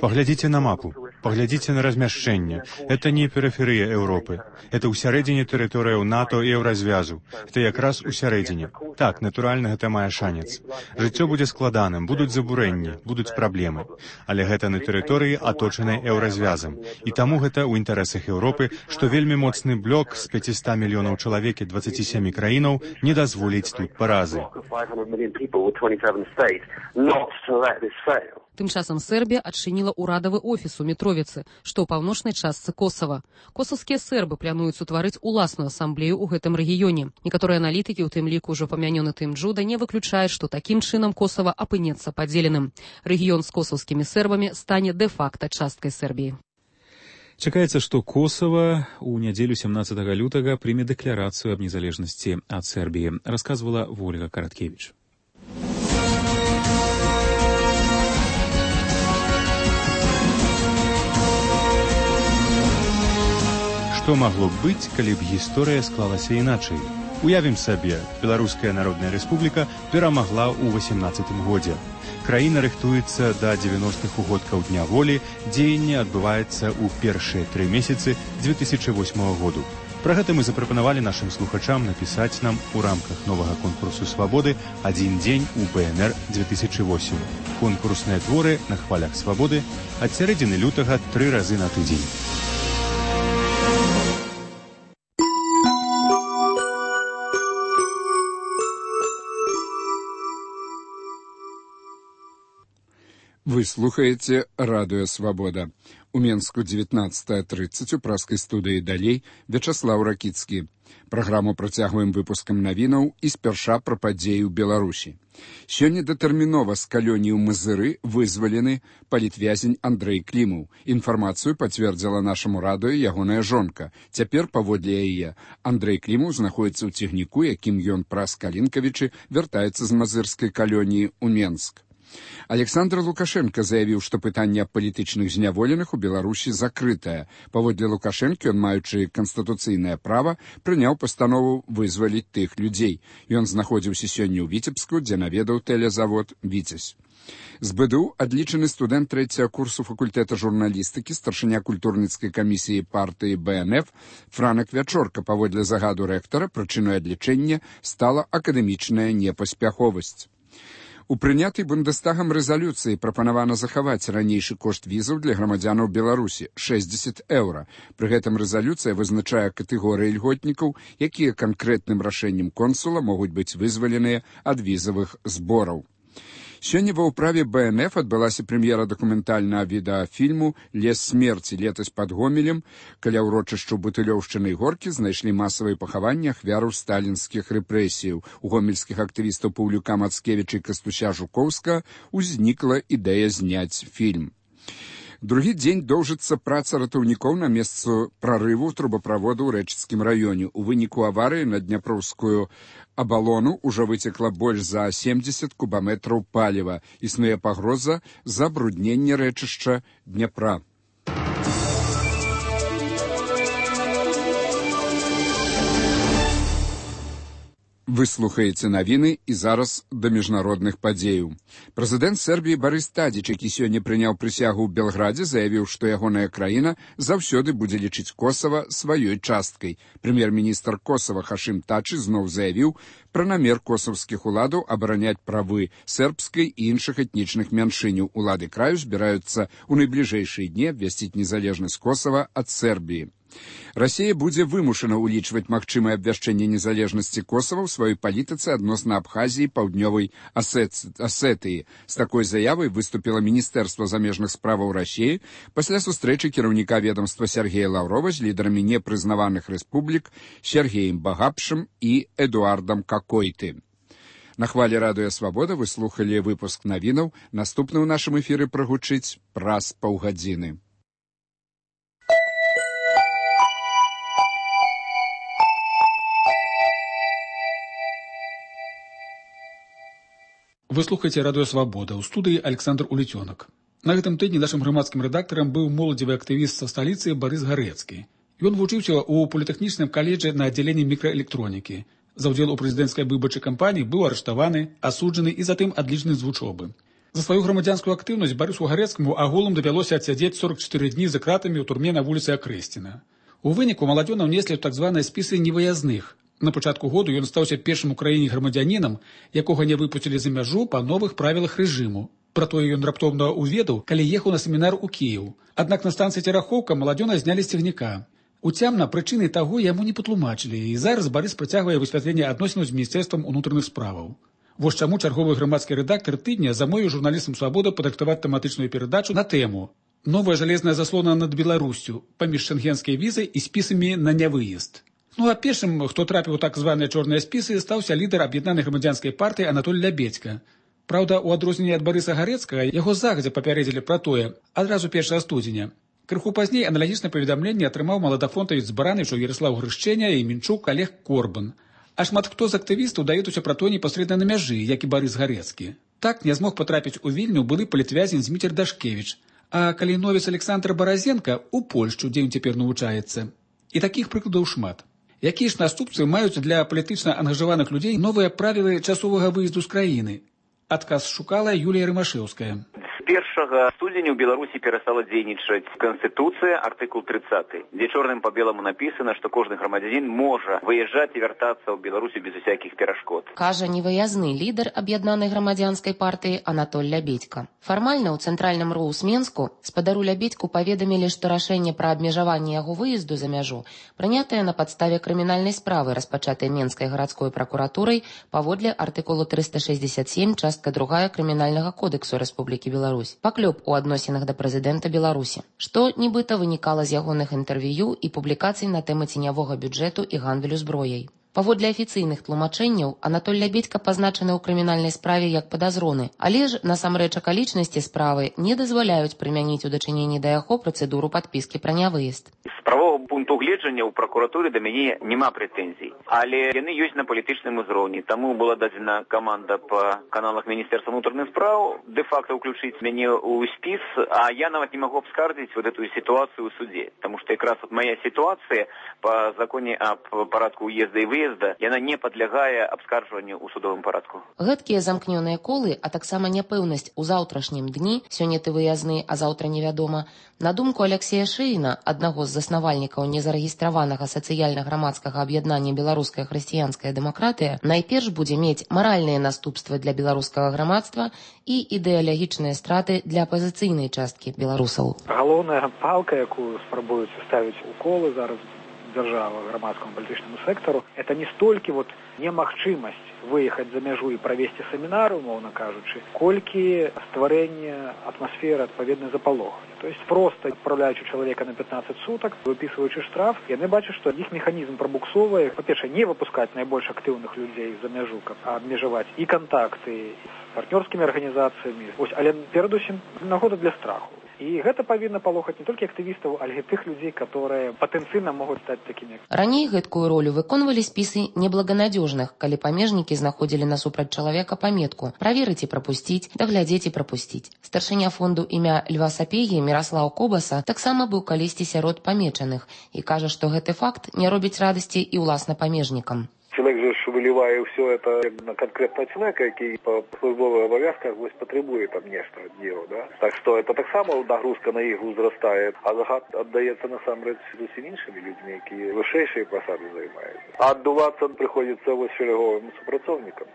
Паглядзіце на мапу, паглядзіце на размяшчэнне. Это не перыферыя Еўропы. Это ўсярэдзіне тэрыторыяў НАТО і Еўразвязу. Это якраз усярэдзіне. Так, натуральна, гэта мае шанец. Жыццё будзе складаным, будуць забурэнні, будуць праблемы. Але гэта на тэрыторыі, аточанай Еўразвязам. І таму гэта ў інтарэсах Еўропы, што вельмі моцны блок з 500 мільёнаў чалавек і 27 краінаў не дазволіць тут паразы. Тым часам Сербія адчыніла ўрадавы офіс у Мітровіцы, што ў паўночнай частцы Косава. Косаўскія сербы плануюць утварыць уласную асамблею ў гэтым рэгіёне. Некаторыя аналітыкі, у тым ліку ўжо памянёны Тым Джуда, не выключаюць, што такім чынам Косава апынецца падзеленым. Рэгіён з косаўскімі сербамі стане дэ-факта часткай Сербіі. Чакаецца, што Косава ў нядзелю 17 лютага прыме дэкларацыю аб незалежнасці ад Сербіі, расказвала Вольга Караткевіч. Што магло б быць, калі б гісторыя склалася іначай? Уявім сабе, Беларуская Народная Рэспубліка перамагла ў 18 годзе. Краіна рыхтуецца да 90-х угодкаў Дня волі, дзеянне адбываецца ў першыя 3 месяцы 2008 году. Пра гэта мы запрапанавалі нашым слухачам напісаць нам у рамках новага конкурсу свабоды «Адзін дзень у БНР 2008». Конкурсныя творы на хвалях свабоды ад сярэдзіны лютага 3 разы на тыдзень. Вы слухаете «Радио Свобода». У Менску 19:30 у праскай студыі далей Вячаслаў Ракіцкі. Праграму працягваем выпускам навінаў і спярша пра падзеі ў Беларусі. Сёння датэрмінова з калоніі ў Мазыры вызвалены палітвязень Андрэй Клімаў. Інфармацыю пацвердзіла нашаму радыё ягоная жонка. Цяпер, паводле яе, Андрэй Клімаў знаходзіцца ў цягніку, якім ён праз Калінкавічы вяртаецца з мазырскай калоніі ў Менск. Александр Лукашенко заявіў, што пытанне аб палітычных зняволеных у Беларусі закрытае. Паводле Лукашэнкі, ён, маючы канстытуцыйнае права, прыняў пастанову вызваліць тых людзей. Ён знаходзіўся сёння ў Віцебску, дзе наведаў тэлезавод «Віцязь». З БДУ адлічаны студэнт 3-го курсу факультэта журналістыкі, старшыня культурніцкай камісіі партыі БНФ Франак Вячорка. Паводле загаду рэктара, прычынай адлічэння стала акадэмічная непаспяховасць. У прынятай Бундестагам рэзалюцыі прапанавана захаваць ранейшы кошт візаў для грамадзянаў Беларусі – 60 еўра. Пры гэтым рэзалюцыя вызначае катэгорыі льготнікаў, якія канкрэтным рашэннем консула могуць быць вызваленыя ад візавых збораў. Сёння ва ўправе БНФ адбылася прэм'ера дакументальнага відэафільму «Лес смерці» летась пад Гомелем. Каля ўрочышчаў Бутылёўшчыны і Горкі знайшлі масавыя пахаванні ахвяраў сталінскіх рэпрэсіяў. У гомельскіх актывістаў Паўлюка Мацкевіча і Кастуся Жукоўскага узнікла ідэя зняць фільм. Другі дзень доўжыцца праца ратаўнікоў на месцы прарыву трубаправоду ў Рэчыцкім раёне. У выніку аварыі на Дняпроўскую абалону ўжо выцекла больш за 70 кубаметраў паліва. Існуе пагроза забруднення рэчышча Дняпра. Вы слухаеце навіны і зараз да міжнародных падзеяў. Прэзідэнт Сербіі Барыс Тадзіч, які сёння прыняў прысягу ў Белградзе, заявіў, што ягоная краіна заўсёды будзе лічыць Косава сваёй часткай. Прэм'ер-міністр Косава Хашым Тачы зноў заявіў пра намер косаўскіх уладаў абараняць правы сербскай і іншых этнічных мяншыняў. Улады краю збіраюцца ў найбліжэйшыя дні абвясціць незалежнасць Косава ад Сербіі. Расія будзе вымушана ўлічваць магчымае абвяшчэнне незалежнасці Косава ў сваёй палітыцы адносна Абхазіі і Паўднёвай Асетыі. З такой заявай выступіла Міністэрства замежных справаў Расіі пасля сустрэчы кіраўніка ведамства Сергея Лаўрова з лідарамі непрызнаваных рэспублік Сергеем Багапшым і Эдуардам Какойты. На хвалі радыё Свабода вы слухалі выпуск навінаў. Наступны ў нашым эфіры прагучыць праз паўгадзіны. Вы слухаеце радыё Свабода, ў студыі Александр Улетёнак. На гэтым тыдні нашым грамадскім рэдактарам быў моладзевы актывіст са сталіцы Барыс Гарэцкі. Ён вучыўся ў політэхнічным каледжы на аддзяленні мікраэлектронікі. За ўдзел у прэзідэнцкай выбарчай кампаніі быў арыштаваны, асуджаны і затым адлічаны з вучобы. За сваю грамадзянскую актыўнасць Барысу Гарэцкаму агулам давялося адсядзець 44 дні за кратамі ў турме на вуліцы Акрэсціна. У выніку маладзёна ўнеслі ў так званыя спісы невыязных. На пачатку году ён стаўся першым у краіне грамадзянінам, якога не выпусцілі за мяжу па новых правілах рэжыму. Пра тое ён раптоўна ўведаў, калі ехаў на семінар у Кіеў. Аднак на станцыі Церахоўка маладзёна знялі з цягніка. Уцямна прычыны таго яму не патлумачылі, і зараз Барыс працягвае высвятленне адносінаў з Міністэрствам унутраных справаў. Вось чаму чарговы грамадскі рэдактар тыдня замовіў журналістам «Свабода» падрыхтаваць тэматычную перадачу на тэму «Новая жалезная заслона над Беларуссю» паміж шэнгенскай візай і спісамі на нявыезд. Ну а першым, хто трапіў у так званыя чорныя спісы, стаўся лідар аб'яднанай грамадзянскай партыі Анатоль Лябедзька. Праўда, у адрозненне ад Барыса Гарэцкага, яго загадзя папярэдзілі пра тое адразу 1 студзеня. Крыху пазней аналагічнае паведамленне атрымаў маладафронтавец з Баранычаў Яраслаў Грышчэня і Мінчук Олег Корбан. А шмат хто з актывістаў даведаўся пра то непасрэдна на мяжы, як і Барыс Гарэцкі. Так не змог патрапіць у Вільню былы палітвязень Зміцер Дашкевіч, а каліновец Александр Баразенка ў Польшчу, дзе ён цяпер навучаецца. І такіх прыкладаў шмат. Якія ж наступствы маюць для палітычна ангажаваных людзей новыя правілы часовага выезду з краіны? Адказ шукала Юлія Рымашэўская. З 1 студзеня ў Беларусі перастала дзейнічаць Канстытуцыя, артыкул 30, дзе чорным па беламу напісана, што кожны грамадзянін можа выязджаць і вяртацца ў Беларусі без усякіх перашкод. Кажа невыязны лідар аб'яднанай грамадзянскай партыі Анатоль Лябедзька. Фармальна ў цэнтральным РУС Менску спадару Лябедзьку паведамілі, што рашэнне пра абмежаванне яго выезду за мяжу прынятае на падставе крымінальнай справы, распачатай Менскай гарадской пракуратурай паводле артыкулу 367, частка 2 Крымінальнага кодексу Рэспублікі Беларусь. Паклёп у адносінах да прэзідэнта Беларусі, што нібыта вынікала з ягоных інтэрв'ю і публікацый на тэмы ценявога бюджэту і гандлю зброяй. Паводле афіцыйных тлумачэнняў, Анатоль Лябедзька пазначаны ў крымінальнай справе як падазроны, але ж насамрэч акалічнасці справы не дазваляюць прымяніць у дачыненні да яго працэдуру падпіскі пра нявыезд. З правовага пункту гледжання ў пракуратуры да мяне няма прэтэнзій, але яны ёсць на палітычным узроўні. Таму была дадзена каманда па каналах Міністэрства ўнутраных спраў дэ-факта ўключыць мяне ў спіс, а я нават не магу абскардзіць вот эту сітуацыю ў суде, таму што якраз вот моя сітуацыя па законе аб парадку уезда і выезда, яна не падлягае абскарджванню ў судовым парадку. Гэткія замкнёныя колы, а таксама няпэўнасць у заўтрашнім дні, сёння ты выязны, а заўтра невядома, на думку Алексея Шэйна, аднаго з заснавальнікаў незарэгістраванага сацыяльна-грамадскага аб'яднання «Беларуская хрысціянская дэмакратыя», найперш будзе мець маральныя наступствы для беларускага грамадства і ідэалагічныя страты для апазіцыйнай часткі беларусаў. Галоўная палка, якую спрабуюць ставіць уколы зараз дзяржава грамадскаму палітычнаму сектару, это не столькі немагчымасць выехаць за мяжу і правесці семінар, умоўна кажучы, колькі стварэнне атмасферы адпаведнай запалохання. То есть просто адпраўляючы чалавека на 15 сутак, выпісваючы штраф, яны бачаць, што іх механізм прабуксовае, па-першае, не выпускаць найбольш актыўных людзей за мяжу, каб абмежаваць і кантакты з партнёрскімі арганізацыямі. Але перадусім нагода для страху. І гэта павінна палохаць не толькі актывістаў, але і тых людзей, которые патэнцыйна могуць стаць такімі. Раней гэткую ролю выконвалі спісы неблаганадзёжных, калі памежнікі знаходзілі насупраць чалавека паметку «Праверыць і прапусціць», «Даглядзець і прапусціць». Старшыня фонду імя Льва Сапегі Міраслаў Кобаса таксама быў калісьці сярод памечаных і кажа, што гэты факт не робіць радасці і ўласна памежнікам. Человек же вылівае все это на конкретного человека, який по службовых обов'язках потребує там нечто от нього, да? Так що это так само нагрузка на їх зростає, а загад віддається насамперед зовсім іншими людьми, які вищіші посади займають. А віддуватися приходиться ось шереговим супрацовникам.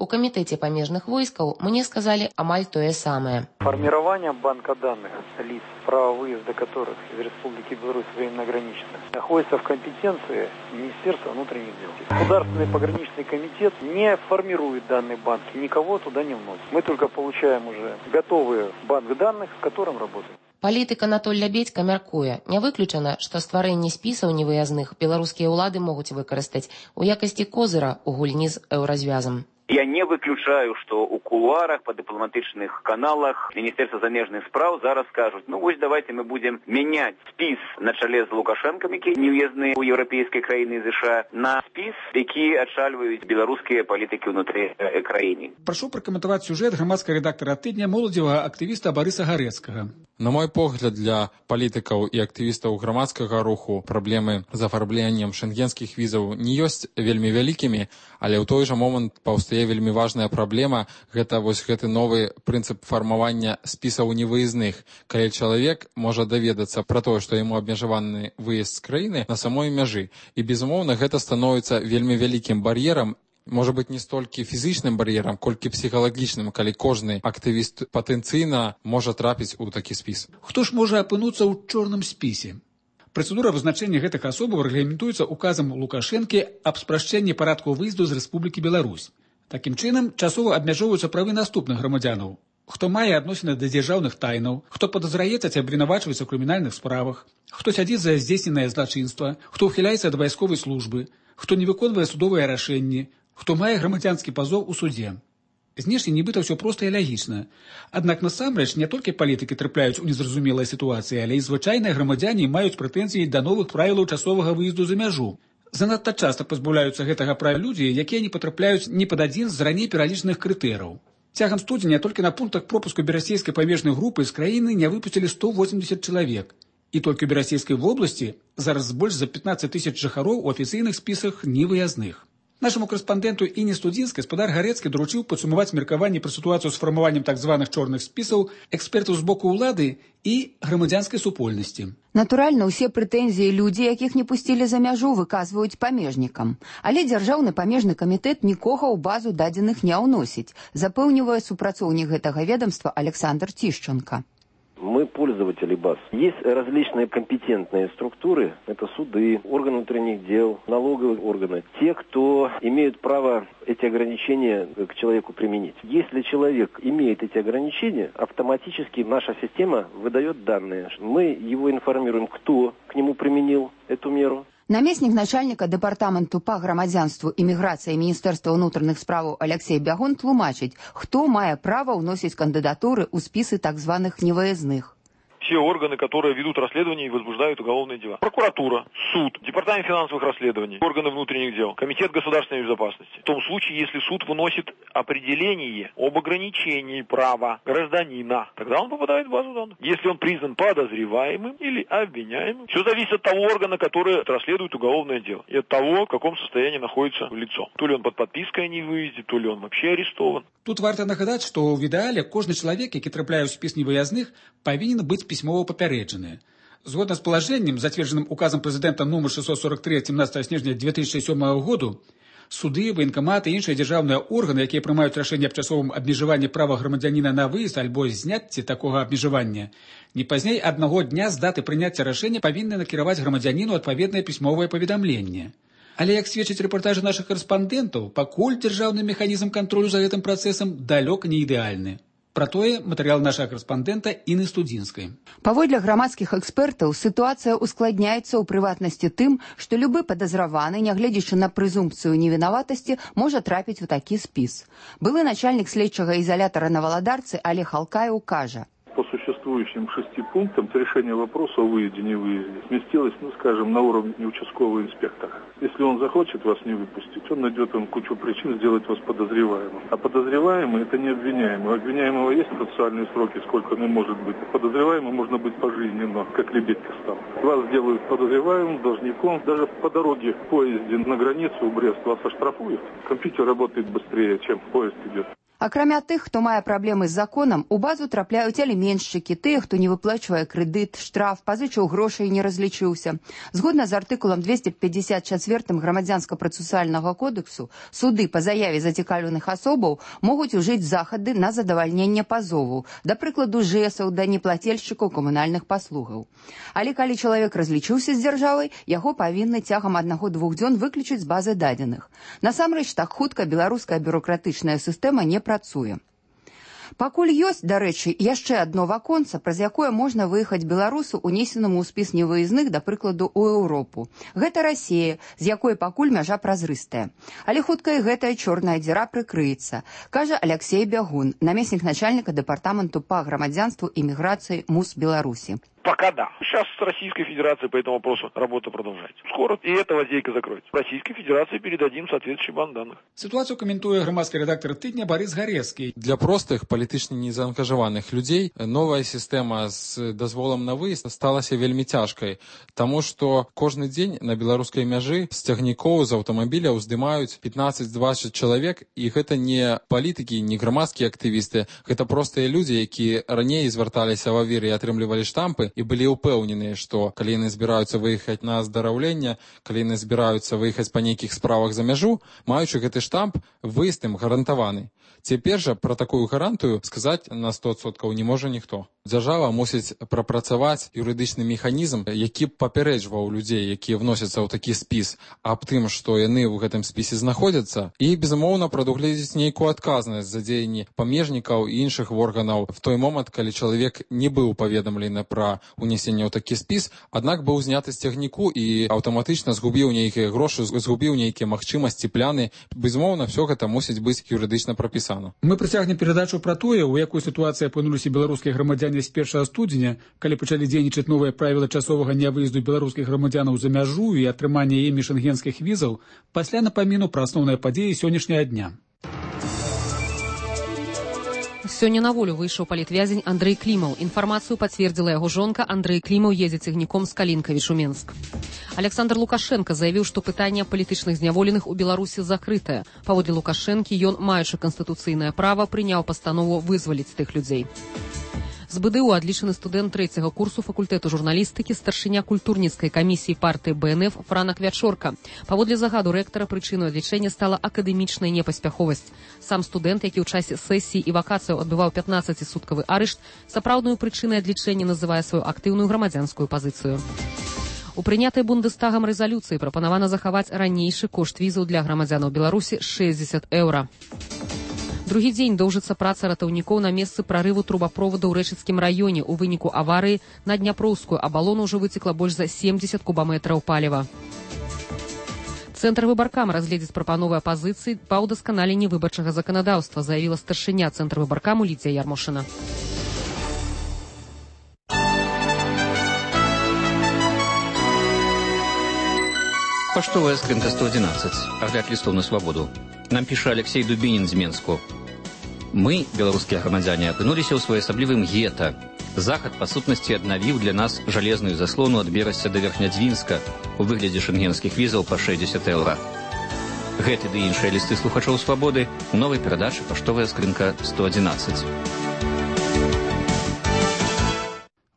У камітэце памежных войскаў мне сказалі амаль тое самае. Формирование банка данных лиц, право выезда которых из Республики Беларусь временно ограничено, находится в компетенции Министерства внутренних дел. Государственный пограничный комитет не формирует данный банк и никого туда не вносит. Мы только получаем уже готовый банк данных, с которым работаем. Палітык Анатоль Лябедзька мяркуе, не выключана, што стварэнне спісаў невыязных беларускія ўлады могуць выкарыстаць у якасці козыра ў гульні з еўразвязам. Я не выключаю, что у кулуарах, по дипломатичных каналах Министерства замежных справ зараз скажут, ну вот давайте мы будем менять спис на чоле з Лукашенком, які нев'язні у європейській країні США, на спис, які адшальваюць беларускія палітыкі ўнутры краіны. Прашу пракаментаваць сюжэт грамадскага рэдактара тыдня моладзевага актывіста Барыса Гарэцкага. На мой погляд, для палітыкаў і актывістаў грамадскага руху праблемы з афарбленнем шэнгенскіх візаў не ёсць вельмі вялікімі, але ў той жа момант паўстае вельмі важная праблема – гэта вось гэты новы прынцып фармавання спісаў невыязных, калі чалавек можа даведацца пра тое, што яму абмежаваны выезд з краіны на самой мяжы. І, безумоўна, гэта становіцца вельмі вялікім бар'ерам, можа быць, не столькі фізічным бар'ерам, колькі псіхалагічным, калі кожны актывіст патэнцыйна можа трапіць у такі спіс. Хто ж можа апынуцца ў чорным спісе? Працэдура вызначэння гэтых асобаў рэгламентуецца указам Лукашэнкі аб спрашчэнні парадку выезду з Рэспублікі Беларусь. Такім чынам, часова абмяжоўваюцца правы наступных грамадзянаў. Хто мае адносіны да дзяржаўных тайнаў, хто падазраецца ці абвінавачваецца ў крымінальных справах, хто сядзіць за здзейсненае злачынства, хто ўхіляецца ад вайсковай службы, хто не выконвае судовыя рашэнні, хто мае грамадзянскі пазоў у суде. Знешне нібыта ўсё проста і лагічна. Аднак насамрэч не толькі палітыкі трапляюць у незразумелыя сітуацыі, але і звычайныя грамадзяне маюць прэтэнзіі да новых правілаў часовага выезду за мяжу. Занадта часта пазбаўляюцца гэтага права людзі, якія не патрапляюць ні пад адзін з раней пералічаных крытэрыяў. Цягам студзеня толькі на пунктах пропуску берасейскай памежнай групы з краіны не выпусцілі 180 чалавек. І толькі ў Берасейскай вобласці зараз больш за 15 тысяч жыхароў у афіцыйных спісах невыязных. Нашаму корэспандэнту Інне Студзінскай гаспадар Гарэцкі даручыў падсумаваць меркаванне пра сітуацыю з фармаваннем так званых чорных спісаў экспертаў з боку ўлады і грамадзянскай супольнасці. Натуральна, усе прэтэнзіі людзі, якіх не пусцілі за мяжу, выказваюць памежнікам. Але дзяржаўны памежны камітэт нікога ў базу дадзеных не ўносіць, запэўнівае супрацоўнік гэтага ведомства Александр Тишченко. Мы пользователи баз. Есть различные компетентные структуры. Это суды, органы внутренних дел, налоговые органы. Те, кто имеют право эти ограничения к человеку применить. Если человек имеет эти ограничения, автоматически наша система выдает данные. Мы его информируем, кто к нему применил эту меру. Намеснік начальніка дэпартаменту па грамадзянству і міграцыі Міністэрства ўнутраных справаў Алексей Бягун тлумачыць, хто мае права ўносіць кандыдатуры ў спісы так званых невыездных. Все органы, которые ведут расследование и возбуждают уголовные дела. Прокуратура, суд, департамент финансовых расследований, органы внутренних дел, комитет государственной безопасности. В том случае, если суд выносит определение об ограничении права гражданина, тогда он попадает в базу данных. Если он признан подозреваемым или обвиняемым, все зависит от того органа, который расследует уголовное дело. И от того, в каком состоянии находится лицо. То ли он под подпиской о невыезде, то ли он вообще арестован. Тут варта нагадаць, што ў ідэале кожны чалавек, які трапляе ў спіс невыязных, павінен быць пісьмова папярэджаны. Згодна з палажэннем, зацверджаным указам прэзідэнта нумар 643 17 снежня 2007 году, суды, военкаматы і іншыя дзяржаўныя органы, якія прымаюць рашэнне аб часовым абмежаванні права грамадзяніна на выезд альбо зняцці такога абмежавання, не пазней аднаго дня з даты прыняцця рашэння павінны накіраваць грамадзяніну адпаведнае пісьмовае паведамленне. Але, як сведчаць рэпартажы нашых корэспандэнтаў, пакуль дзяржаўны механізм кантролю за гэтым працэсам далёка не ідэальны. Пра тое матэрыял нашага корэспандэнта Інны Студзінскай. Паводле грамадскіх экспертаў, сітуацыя ускладняецца ў прыватнасці тым, што любы падазраваны, нягледзячы на прэзумпцыю невінаватасці, можа трапіць у такі спіс. Былы начальнік следчага изолятора на Валадарцы Олег Алкаев кажа: по существующим 6 пунктам решение вопроса о выезде-невыезде сместилось, скажем, на уровне участкового инспектора. Если он захочет вас не выпустить, он найдет вам кучу причин сделать вас подозреваемым. А подозреваемый – это не обвиняемый. У обвиняемого есть процессуальные сроки, сколько он может быть. А подозреваемым можно быть пожизненно, как Лебедька стал. Вас делают подозреваемым, должником. Даже по дороге в поезде на границу в Брест вас оштрафуют. Компьютер работает быстрее, чем поезд идет. Акрамя тых, хто мае праблемы з законам, у базу трапляюць аліменшчыкі, тыя, хто не выплачвае крэдыт, штраф, пазычыў грошай і не разлічыўся. Згодна з артыкулам 254 грамадзянска-працэсуальнага кодексу, суды па заяве зацікаўленых асобаў могуць ужыць захады на задавальненне пазову, да прыкладу жэсаў да неплацельшчыкаў камунальных паслугаў. Але калі чалавек разлічыўся з дзяржавай, яго павінны цягам 1-2 дзён выключыць з базы дадзеных. Насамрэч, так хутка беларуская бюрократычная сістэма не працуе. Пакуль ёсць, дарэчы, яшчэ адно ваконца, праз якое можна выехаць беларусу, унесенаму ў спіс невыездных, да прыкладу, у Еўропу. Гэта Расія, з якой пакуль мяжа празрыстая. Але хутка і гэтая чорная дзіра прыкрыецца, кажа Алексей Бягун, намеснік начальніка дэпартаменту па грамадзянству і міграцыі МУС Беларусі. Пока да. Сейчас с Российской Федерацией по этому вопросу работа продолжается. Скоро и эта лазейка закроется. Российской Федерации передадим соответствующий банк данных. Ситуацию комментует громадский редактор «Тыдня» Борис Гарецкий. Для простых, палітычна незаангажаваных людзей новая сістэма з дазволам на выезд сталася вельмі цяжкай, таму што кожны дзень на беларускай мяжы з цягнікоў з аўтамабіля ўздымаюць 15-20 чалавек, і гэта не палітыкі, не грамадскія актывісты, гэта простыя людзі, якія раней звярталіся в авір і атрымлівалі штампы, і былі ўпэўненыя, што калі яны збіраюцца выехаць на аздараўленне, калі яны збіраюцца выехаць па нейкіх справах за мяжу, маючы гэты штамп, выезд ім гарантаваны. Цяпер жа пра такую гарантыю сказаць на 100% не можа ніхто. Дзяржава мусіць прапрацаваць юрыдычны механізм, які б папярэджваў людзей, якія вносяцца ў такі спіс, аб тым, што яны ў гэтым спісе знаходзяцца, і, безумоўна, прадугледзець нейкую адказнасць за дзеянні памежнікаў і іншых органаў в той момант, калі чалавек не быў паведамлены пра унесенне ў такі спіс, аднак быў зняты з цягніку і аўтаматычна згубіў нейкія грошы, згубіў нейкія магчымасці, пляны. Безумоўна, все гэта мусіць быць юрыдычна прапісана. Мы працягнем перадачу пра тое, у якой сітуацыі апынуліся беларускія грамадзяне з 1 студзеня, калі пачалі дзейнічаць новыя правілы часовага нявыезду беларускіх грамадзянаў за мяжу і атрымання імі шэнгенскіх візаў, пасля напаміну пра асноўныя падзеі сённяшняга дня. Сёння на волю выйшаў палітвязень Андрэй Клімаў. Інфармацыю пацвердзіла яго жонка. Андрэй Клімаў едзе цягніком з Калінкавіч у Менск. Александр Лукашенко заявіў, што пытанне палітычных зняволеных у Беларусі закрытае. Паводле Лукашэнкі, ён, маючы канстытуцыйнае права, прыняў пастанову вызваліць тых людзей. З БДУ адлічаны студэнт 3-го курсу факультэту журналістыкі, старшыня культурніцкай камісіі партыі БНФ Франак Вячорка. Паводле загаду рэктара, прычынай адлічэння стала акадэмічная непаспяховасць. Сам студэнт, які ў часе сесіі і вакацыяў адбываў 15-суткавы арышт, сапраўдную прычынай адлічэння называе сваю актыўную грамадзянскую пазіцыю. У прынятай Бундестагам рэзалюцыі прапанавана захаваць ранейшы кошт візаў для грамадзянаў Беларусі 60 еўра. Другі дзень доўжыцца праца ратаўнікоў на месцы прарыву трубаправода ў Рэчыцкім раёне. У выніку аварыі на Дняпроўскую абалону ўжо выцекла больш за 70 кубаметраў паліва. Цэнтр выбаркама разгледзіць прапановы апазіцыі па ўдасканаленні выбарчага заканадаўства, заявіла старшыня Цэнтра выбаркаму Лідзія Ярмошына. Паштовая скрынка 111. Агляд лістоў на свабоду. Нам піша Алексей Дубінін з Менску. Мы, беларускія грамадзяне, апынуліся ў своеасаблівым гета. Захад, па сутнасці, аднавіў для нас жалезную заслону ад Берасця да Верхнядзвінска у выглядзе шэнгенскіх візаў па 60 еўра. Гэты ды іншыя лісты слухачоў свабоды у новай перадачы «Паштовая скрынка 111».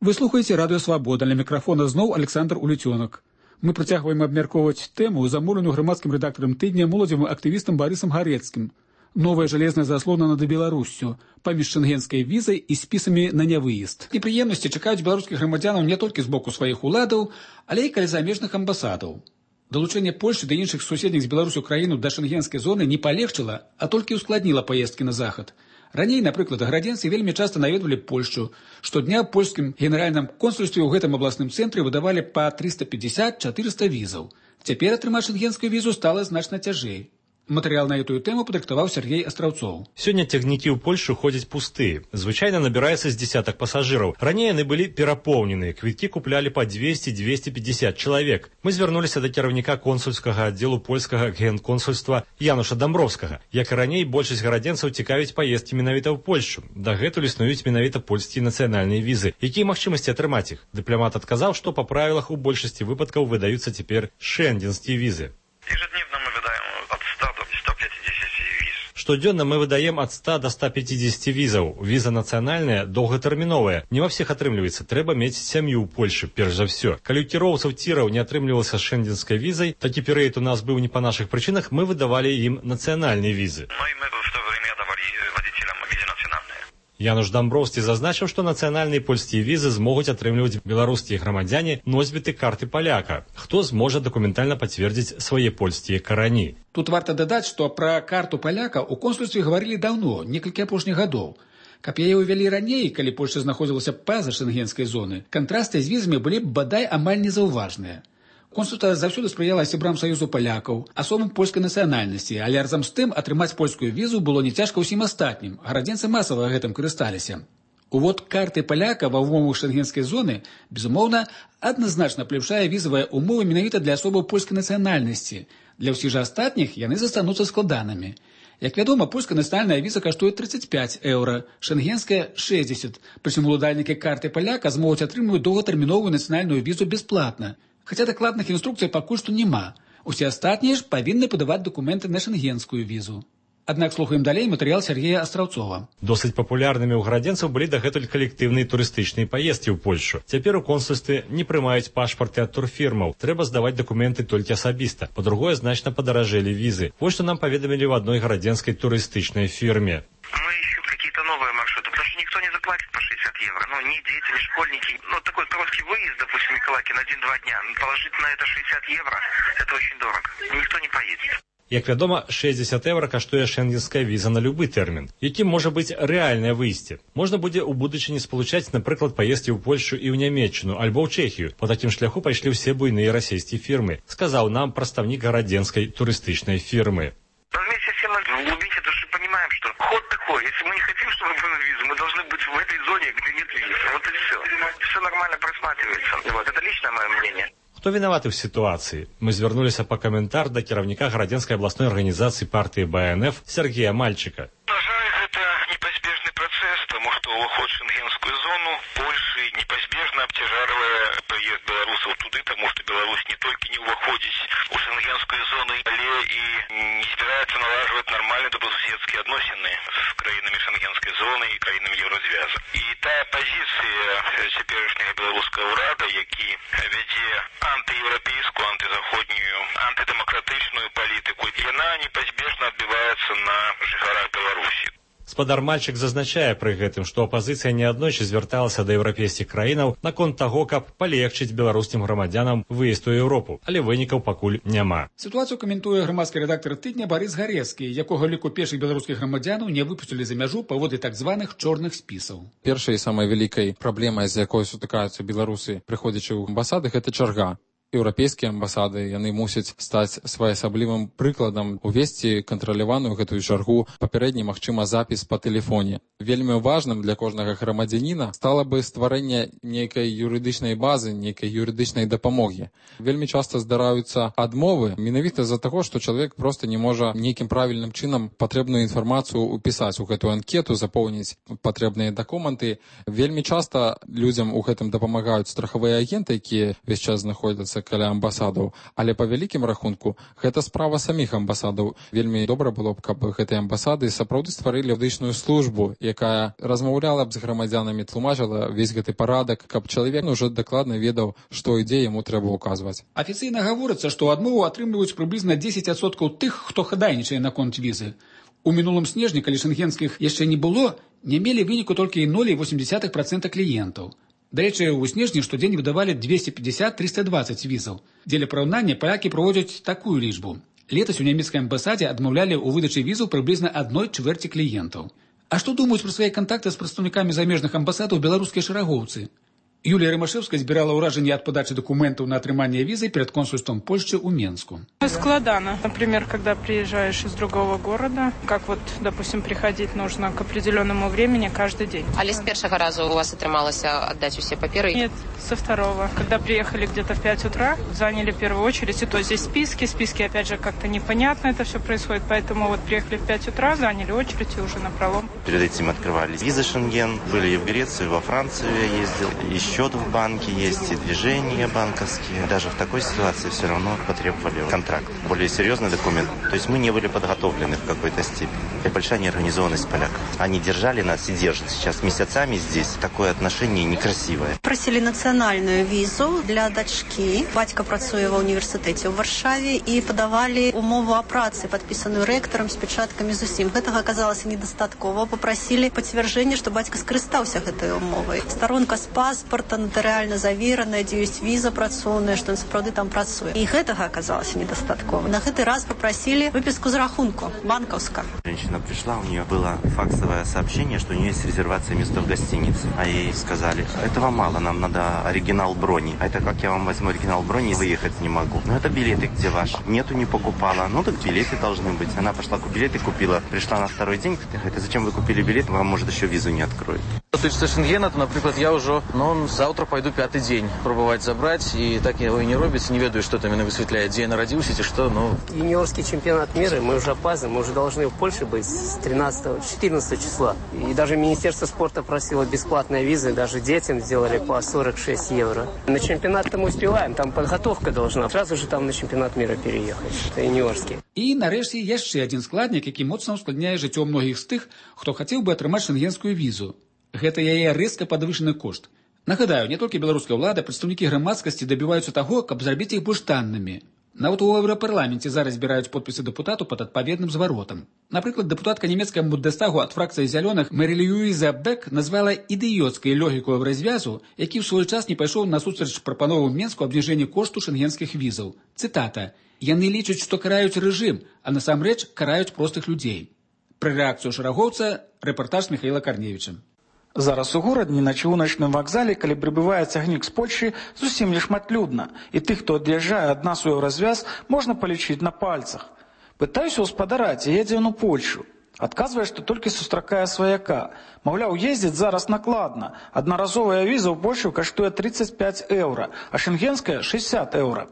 Вы слухаеце радыё «Свабода». Ля мікрафона зноў Александр Уліцёнак. Мы працягваем абмяркоўваць тэму, замоўленую грамадскім рэдактарам тыдня моладзевым актывістам Барысам Гарэцкім. Новая жалезная заслона над Беларуссю паміж шэнгенскай візай і спісамі на нявыезд. Непрыемнасці чакаюць беларускіх грамадзянаў не толькі з боку сваіх уладаў, але і каля замежных амбасадаў. Далучэнне Польшчы да іншых суседніх з Беларусю краіну да шэнгенскай зоны не палегчыла, а толькі ўскладніла паездкі на захад. Раней, напрыклад, гарадзенцы вельмі часта наведвалі Польшчу. Штодня ў польскім генеральным консульстве ў гэтым абласным цэнтры выдавалі па 350-400 візаў. Цяпер атрымаць шэнгенскую візу стала значна цяжэй. Матэрыял на эту тэму падрыхтаваў Сергей Астраўцоў. Сёння цягнікі ў Польшу ходзяць пустыя. Звычайна набіраецца з дзесятак пасажыраў. Раней яны былі перапоўненыя. Квіткі куплялі па 200-250 чалавек. Мы звярнуліся да кіраўніка консульскага аддзелу польскага генконсульства Януша Дамбровскага. Як і раней, большасць гарадзенцаў цікавіць паездкі менавіта ў Польшчу. Дагэтуль існуюць менавіта польскія нацыянальныя візы. Якія магчымасці атрымаць іх? Дыпламат адказаў, што па правілах у большасці выпадкаў выдаюцца цяпер шэнгенскія візы. Ежедневно мы выдаем от 100 до 150 виз. Штодзённа мы выдаем от 100 до 150 візаў. Віза нацыянальная, доўгатэрміновая. Не ва всех атрымліваецца. Трэба мець сям'ю ў Польшы, перш за ўсё. Калі ў кіроўцаў ціраў не атрымлівалася шэнгенскай візай, такі перыяд у нас быў не па нашых прычынах, мы выдавалі ім нацыянальныя візы. Ну и мы в то время давали водителям визы национальные. Януш Дамброўскі зазначыў, што нацыянальныя польскія візы змогуць атрымліваць беларускія грамадзяне носьбіты карты паляка, хто зможа дакументальна пацвердзіць свае польскія карані. Тут варта дадаць, што пра карту паляка ў консульстве гаварылі даўно, некалькі апошніх гадоў. Каб яе ўвялі раней, калі Польшча знаходзілася па-за шэнгенскай зоны, кантрасты з візамі былі б бадай амаль незаўважныя. Консульства заўсёды спрыяла сябрам Саюзу палякаў, асобам польскай нацыянальнасці, але разам з тым атрымаць польскую візу было не цяжка ўсім астатнім. Гарадзенцы масава гэтым карысталіся. Увод карты паляка ва ўмовах шэнгенскай зоны, безумоўна, адназначна палепшае візавыя ўмовы менавіта для асобаў польскай нацыянальнасці. Для ўсіх жа астатніх яны застануцца складанымі. Як вядома, польская нацыянальная віза каштуе 35 еўра, шэнгенская – 60. Прычым уладальнікі карты паляка змогуць атрымліваць доўгатэрміновую нацыянальную візу бясплатна. Хаця дакладных інструкцый пакуль што няма. Усе астатнія ж павінны падаваць дакументы на шэнгенскую візу. Аднак слухаем далей матэрыял Сергея Астраўцова. Досыць папулярнымі ў гарадзенцаў былі дагэтуль калектыўныя турыстычныя паездкі ў Польшу. Цяпер у консульстве не прымаюць пашпарты ад турфірмаў. Трэба здаваць дакументы толькі асабіста. Па-другое, значна падаражэлі візы. Вось што нам паведамілі в одной гарадзенскай турыстычнай фірме. Мы ищем какие-то новые маршруты, потому что никто не заплатит по 60 евро. Ну, ни дети, ни школьники. Ну, такой короткий выезд, допустим, Миколаки на 1-2 дня. Положить на это 60 евро, это очень дорого. Никто не поедет. Як вядома, 60 евро каштуе шенгенская віза на любы тэрмін. Якім можа быць рэальнае выйсце? Можна будзе ў будучыні спалучаць, напрыклад, паездкі ў Польшу і ў Нямецчыну, альбо ў Чэхію. По такім шляху пайшлі ўсе буйныя расійскія фірмы, сказаў нам прадстаўнік гарадзенскай турыстычнай фірмы. Вместе с тем, в глубине души понимаем, что ход такой. Если мы не хотим, чтобы была виза, мы должны быть в этой зоне, где нет визы. Вот и все. Все нормально просматривается. Вот, это личное мое мнение. Хто вінаваты ў сітуацыі? Мы звярнуліся па каментар да кіраўніка гарадзенскай абласной арганізацыі партыі БНФ Сергея Мальчика. На жаль, гэта непазбежны працэс, таму што ўваход в шенгенскую зону Польшы непазбежна абцяжарвае прыезд беларусаў туды, таму што Беларусь не толькі не ўваходзіць у шенгенскую зону, але і не збіраецца налажваць нармальныя добрасуседскія адносіны з краінамі шенгенскай зоны і краінамі Еўразвяза. І тая пазіцыя цяперашняга беларускага ўрада, які вядзе антыеўрапейскую, антызаходнюю, антыдэмакратычную палітыку, яна непазбежна адбіваецца на жыхарах Беларусі. Спадар Мальчик зазначае пры гэтым, што апазіцыя неаднойчы звярталася да еўрапейскіх краінаў наконт таго, каб палегчыць беларускім грамадзянам выезд у Еўропу, але вынікаў пакуль няма. Сітуацыю каментуе грамадскі рэдактар тыдня Барыс Гарэцкі, якога ліку першых беларускіх грамадзянаў не выпусцілі за мяжу паводле так званых чорных спісаў. Першай самай вялікай праблемай, з якой сутыкаюцца беларусы, прыходзячы ў амбасады, гэта чарга. Еўрапейскія амбасады, яны мусяць стаць своеасаблівым прыкладам, увесці кантраляваную гэтую чаргу, папярэдні, магчыма, запіс па тэлефоне. Вельмі важным для кожнага грамадзяніна стала бы стварэнне нейкай юрыдычнай базы, нейкай юрыдычнай дапамогі. Вельмі часта здараюцца адмовы менавіта з-за таго, што чалавек проста не можа нейкім правільным чынам патрэбную інфармацыю ўпісаць у гэтую анкету, запоўніць патрэбныя дакументы. Вельмі часта людзям у гэтым дапамагаюць страхавыя агенты, якія ўвесь час знаходзяцца каля амбасадаў, але па вялікім рахунку гэта справа саміх амбасадаў. Вельмі добра было б, каб гэтыя амбасады сапраўды стварылі юрыдычную службу, якая размаўляла б з грамадзянамі, тлумачыла весь гэты парадак, каб чалавек уже дакладна ведаў, што і дзе яму трэба ўказваць. Афіцыйна гаворыцца, што адмову атрымліваюць прыблізна 10% тых, хто хадайнічае наконт візы. У мінулым снежні, калі шенгенскіх яшчэ не было, не мелі выніку толькі 0,8% кліентаў. Дарэчы, у снежні штодзень выдавалі 250-320 візаў. Дзеля параўнання палякі праводзяць такую лічбу. Летась у нямецкай амбасадзе адмаўлялі ў выдачы візаў прыблізна 1/4 кліентаў. А што думаюць пра свае кантакты з прадстаўнікамі замежных амбасадаў беларускія шэрагоўцы? Юлія Рымашэўская збірала ўражанні ад падачы документаў на атрыманне візы перед консульством Польши у Менску. Складано. Например, когда приезжаешь из другого города, как вот, допустим, приходить нужно к определенному времени каждый день. Але с первого раза у вас атрымалася отдать все паперы? Нет, со второго. Когда приехали где-то в 5 утра, заняли первую очередь, и то здесь списки, опять же, как-то непонятно это все происходит, поэтому вот приехали в 5 утра, заняли очередь и уже напролом. Перед этим открывались визы Шенген, были и в Греции, и во Францию я ездил, еще счет в банке есть, и движения банковские. Даже в такой ситуации все равно потребовали контракт. Более серьезный документ. То есть мы не были подготовлены в какой-то степени. И большая неорганизованность поляков. Они держали нас и держат сейчас месяцами здесь. Такое отношение некрасивое. Просили национальную визу для дочки. Батька працує в університеті у Варшаві і подавали умову о праці, підписану ректором з печатками з усім. Гэтага оказалось недостатково. Попросили підтвердження, що батько скористався гэтай умовой. Сторонка з паспорта, нотаріально завірена, де є віза працоўная, що він справді там працує. І гэтага оказалось недостатково. На гэты раз попросили выписку з рахунку, банковского. Женщина пришла, у нее было факсовое сообщение, что у нее есть резервация места в гостинице. А ей сказали, этого мало, нам надо оригинал брони. А это как я вам возьму оригинал брони и выехать не могу? Ну это билеты, где ваши? Нету, не покупала. Ну так билеты должны быть. Она пошла, билеты купила. Пришла на второй день, говорит, а зачем вы купили билет? Вам, может, еще визу не откроют. Тычыцца шенгена, то, напрыклад, я ўжо заўтра пайду 5-й дзень пробаваць забраць, і так яго і не робіцца, не ведаю, што там яны высвятляюць, дзе я нарадзіўся, ці што, Юниорский чемпионат мира, мы уже опаздываем, мы уже должны в Польше быть с 14 числа. И даже Министерство спорта просило бесплатные визы, даже детям сделали по 46 евро. На чемпионат-то мы успеваем, там подготовка должна, сразу же там на чемпионат мира переехать, это юниорский. І, нарэшце, яшчэ адзін складнік, які моцна ускладняе жыццё многіх з тых, хто хацеў бы атрымаць шенгенскую візу. Гэта яе рэзка падвышаны кошт. Нагадаю, не толькі беларуская ўлада, прадстаўнікі грамадскасці дабіваюцца таго, каб зрабіць іх больш таннымі. Нават у Еўрапарламенце зараз збіраюць подпісы дэпутатаў пад адпаведным зваротам. Напрыклад, дэпутатка нямецкага Бундестагу ад фракцыі зялёных Мэрі Льюіза Бек назвала ідыёцкай логіку еўразвязу, які ў свой час не пайшоў насустрач прапановам Менску абніжэння кошту шенгенскіх візаў. Цытата: «Яны лічаць, што караюць рэжым, а насамрэч караюць простых людзей». Пра рэакцыю шарагоўца рэпартаж Михаіла Карневіча. Зараз у горадні на чыгуначным вакзале, калі прыбывае цягнік з Польшчы, зусім не шматлюдна, і тых, хто ад'язджае ад нас у еўразвяз, можна палічыць на пальцах. Пытаюся ў спадара, ці едзе ён у Польшу. Адказвае, што толькі сустракае сваяка. Маўляў, ездзіць зараз накладна. Аднаразовая віза ў Польшу каштуе 35 еўра, а шенгенская 60 еўра.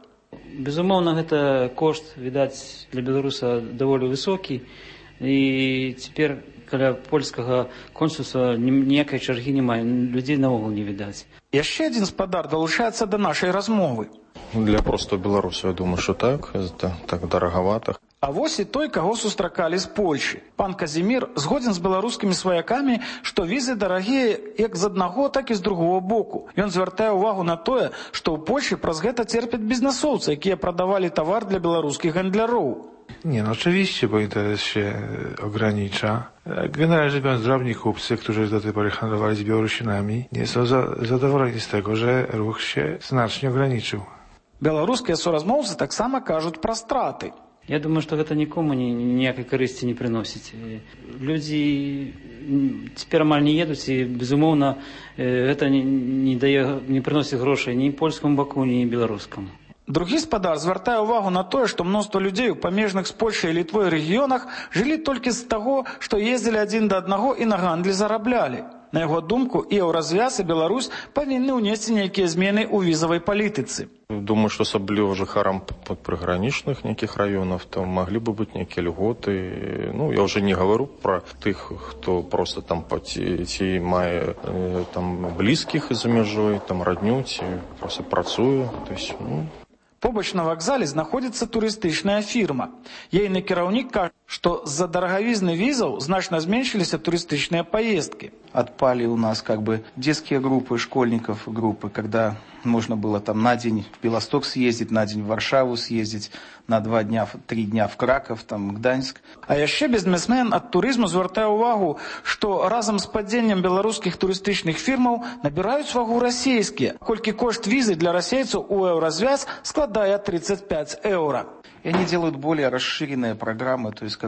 Безумоўна, гэта кошт, відаць, для беларуса даволі высокі, і цяпер каля польскага консульства ніякай чаргі няма, людзей наогул не відаць. Яшчэ адзін спадар далучаецца да нашай размовы. Для простого беларуса, я думаю, что это так дороговато. А вось і той, каго сустракалі з Польшчы. Пан Казімір згодзін з беларускімі сваякамі, што візы дарагія як з аднаго, так і з другого боку. Ён звяртае ўвагу на тое, што ў Польшчы праз гэта церпяць бізнесоўцы, якія прадавалі тавар для беларускіх гандляров. Nie, no oczywiście, bo interes się ogranicza. Generalnie rzecz biorąc, drobni kupcy, którzy do tej pory handlowali z Białorusinami, nie są zadowoleni z tego, że ruch się znacznie ograniczył. Беларускія суразмоўцы таксама кажуць пра страты. Я думаю, што гэта нікому ніякай карысці не прыносіць. Людзі цяпер амаль не едуць, і, безумоўна, гэта не прыносіць грошай ні польскаму баку, ні беларускаму. Другі спадар звяртае ўвагу на тое, што мноства людзей у памежных з Польшай і Літвой рэгіёнах жылі толькі з таго, што ездзілі адзін да аднаго і на гандлі зараблялі. На яго думку, і еўразвяз, і Беларусь павінны ўнесці нейкія змены ў візавай палітыцы. Думаю, что особливо жыхарам приграничных неких районов там могли бы быть некие льготы. Ну, я уже не говорю про тех, кто просто там ці мае там близких за межой, там родню, ці просто працуе. То есть, Побач на вакзале знаходзіцца турыстычная фірма. Ейны кіраўнік кажа, што з-за дарагавізны візаў значна зменшиліся турыстычныя поездки. Отпали у нас детские группы, школьников группы, когда можно было там на день в Белосток съездить, на день в Варшаву съездить, на 2 дня, 3 дня в Краков, там, Гданьск. А яшчэ бізнесмен ад турызму звяртае ўвагу, што разам з падзеннем беларускіх турыстычных фірмаў набіраюць вагу расійскія, колькі кошт візы для расейцаў у еўразвяз складае 35 еўра. И они делают более расширенные программы, то есть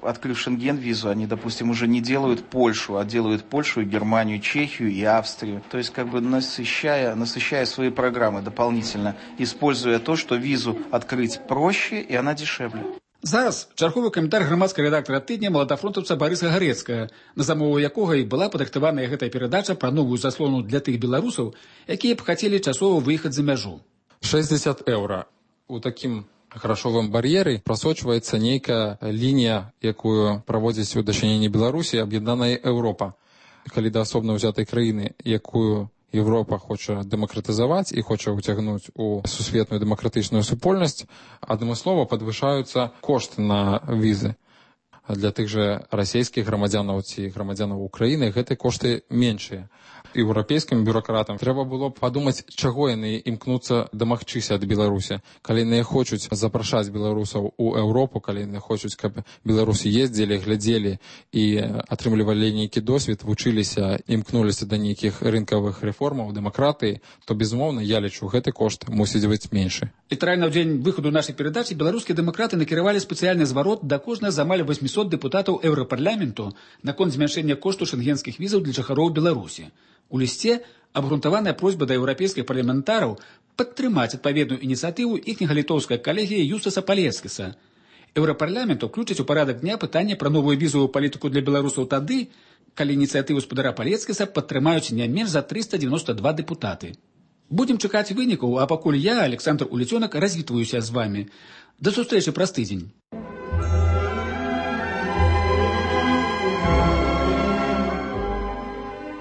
открыв Шенген-визу, они, допустим, уже не делают Польшу, а делают Польшу, Германию, Чехию и Австрию. То есть насыщая свои программы дополнительно, используя то, что визу открыть проще и она дешевле. Зараз чарговы каментар грамадскага рэдактара тыдня маладафронтаўца Барыса Гарэцкага, на замову якога і была падрыхтаваная гэтая перадача пра новую заслону для тых беларусаў, якія б хацелі часова выехаць за мяжу. 60 еўра. У такім грашовым бар'еры прасочваецца нейкая лінія, якую праводзіць у дачыненні Беларусі аб'яднаная Еўропа. Калі да асобна ўзятай краіны, якую Еўропа хоча дэмакратызаваць і хоча ўцягнуць у сусветную дэмакратычную супольнасць, адмыслова падвышаюцца кошты на візы. Для тых жа расійскіх грамадзянаў ці грамадзянаў Украіны гэтыя кошты меншыя. Еўрапейскім бюракратам трэба было б падумаць, чаго яны імкнуцца дамагчыся ад Беларусі. Калі яны хочуць запрашаць беларусаў у Еўропу, калі яны хочуць, каб беларусы ездзілі, глядзелі і атрымлівалі нейкі досвед, вучыліся, імкнуліся да нейкіх рынкавых рэформаў, дэмакратыі, то, безумоўна, я лічу, гэты кошт мусіць быць меншы. Літаральна ў дзень выхаду нашай перадачы беларускія дэмакраты накіравалі спецыяльны зварот да кожнага з амаль 800 дэпутатаў Еўрапарламенту наконт змяншэння кошту шенгенскіх візаў для жыхароў Беларусі. У лісце абгрунтаваная просьба да еўрапейскіх парламентараў падтрымаць адпаведную ініцыятыву іхняга літоўская калегія Юстаса Палецкіса. Еўрапарламент уключыць у парадак дня пытанне пра новую візавую палітыку для беларусаў тады, калі ініцыятыву спадара Палецкіса падтрымаюць не менш за 392 дэпутаты. Будем чакаць вынікаў, а пакуль я, Александр Улецёнак, развітваюся з вамі. До сустрэчы праз тыдзень.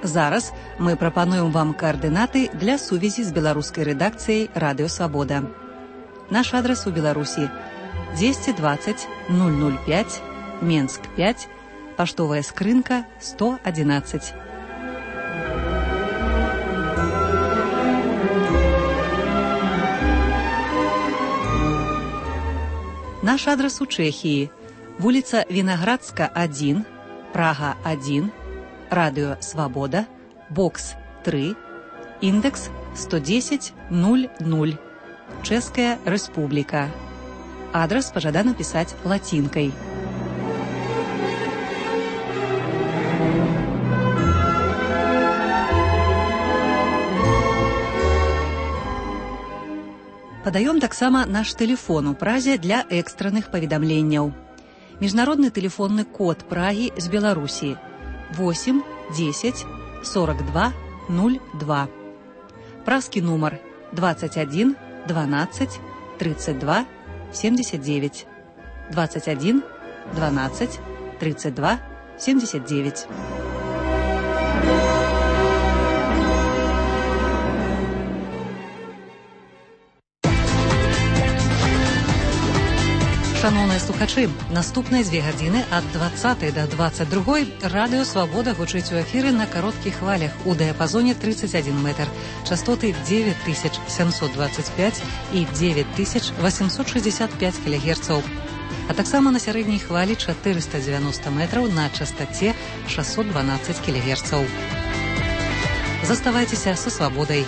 Зараз мы прапануем вам координаты для сувязі з беларускай рэдакцыяй Радыё Свабода. Наш адрес у Беларусі 220 005, Менск 5, паштовая скрынка 111. Наш адрес у Чэхіі: вуліца Вінаградска 1, Прага 1, Радыё Свабода, бокс 3, індекс 110 00, Чэшская Рэспубліка. Адрес пажадана пісаць лацінкай. Падаём таксама наш тэлефон у Празе для экстранных паведамленняў. Міжнародны тэлефонны код Прагі з Беларусі 8 10 42 02. Празкі нумар 21 12 32 79. 21 12 32 79. Шановныя слухачы, наступныя 2 гадзіны ад 20 до 22 Радыё Свабода гучыць у эфіры на кароткіх хвалях у дыяпазоне 31 метр, частоты 9725 і 9865 кГц, а таксама на сярэдняй хвалі 490 метраў на частоце 612 кГц. Заставайцеся са Свабодай.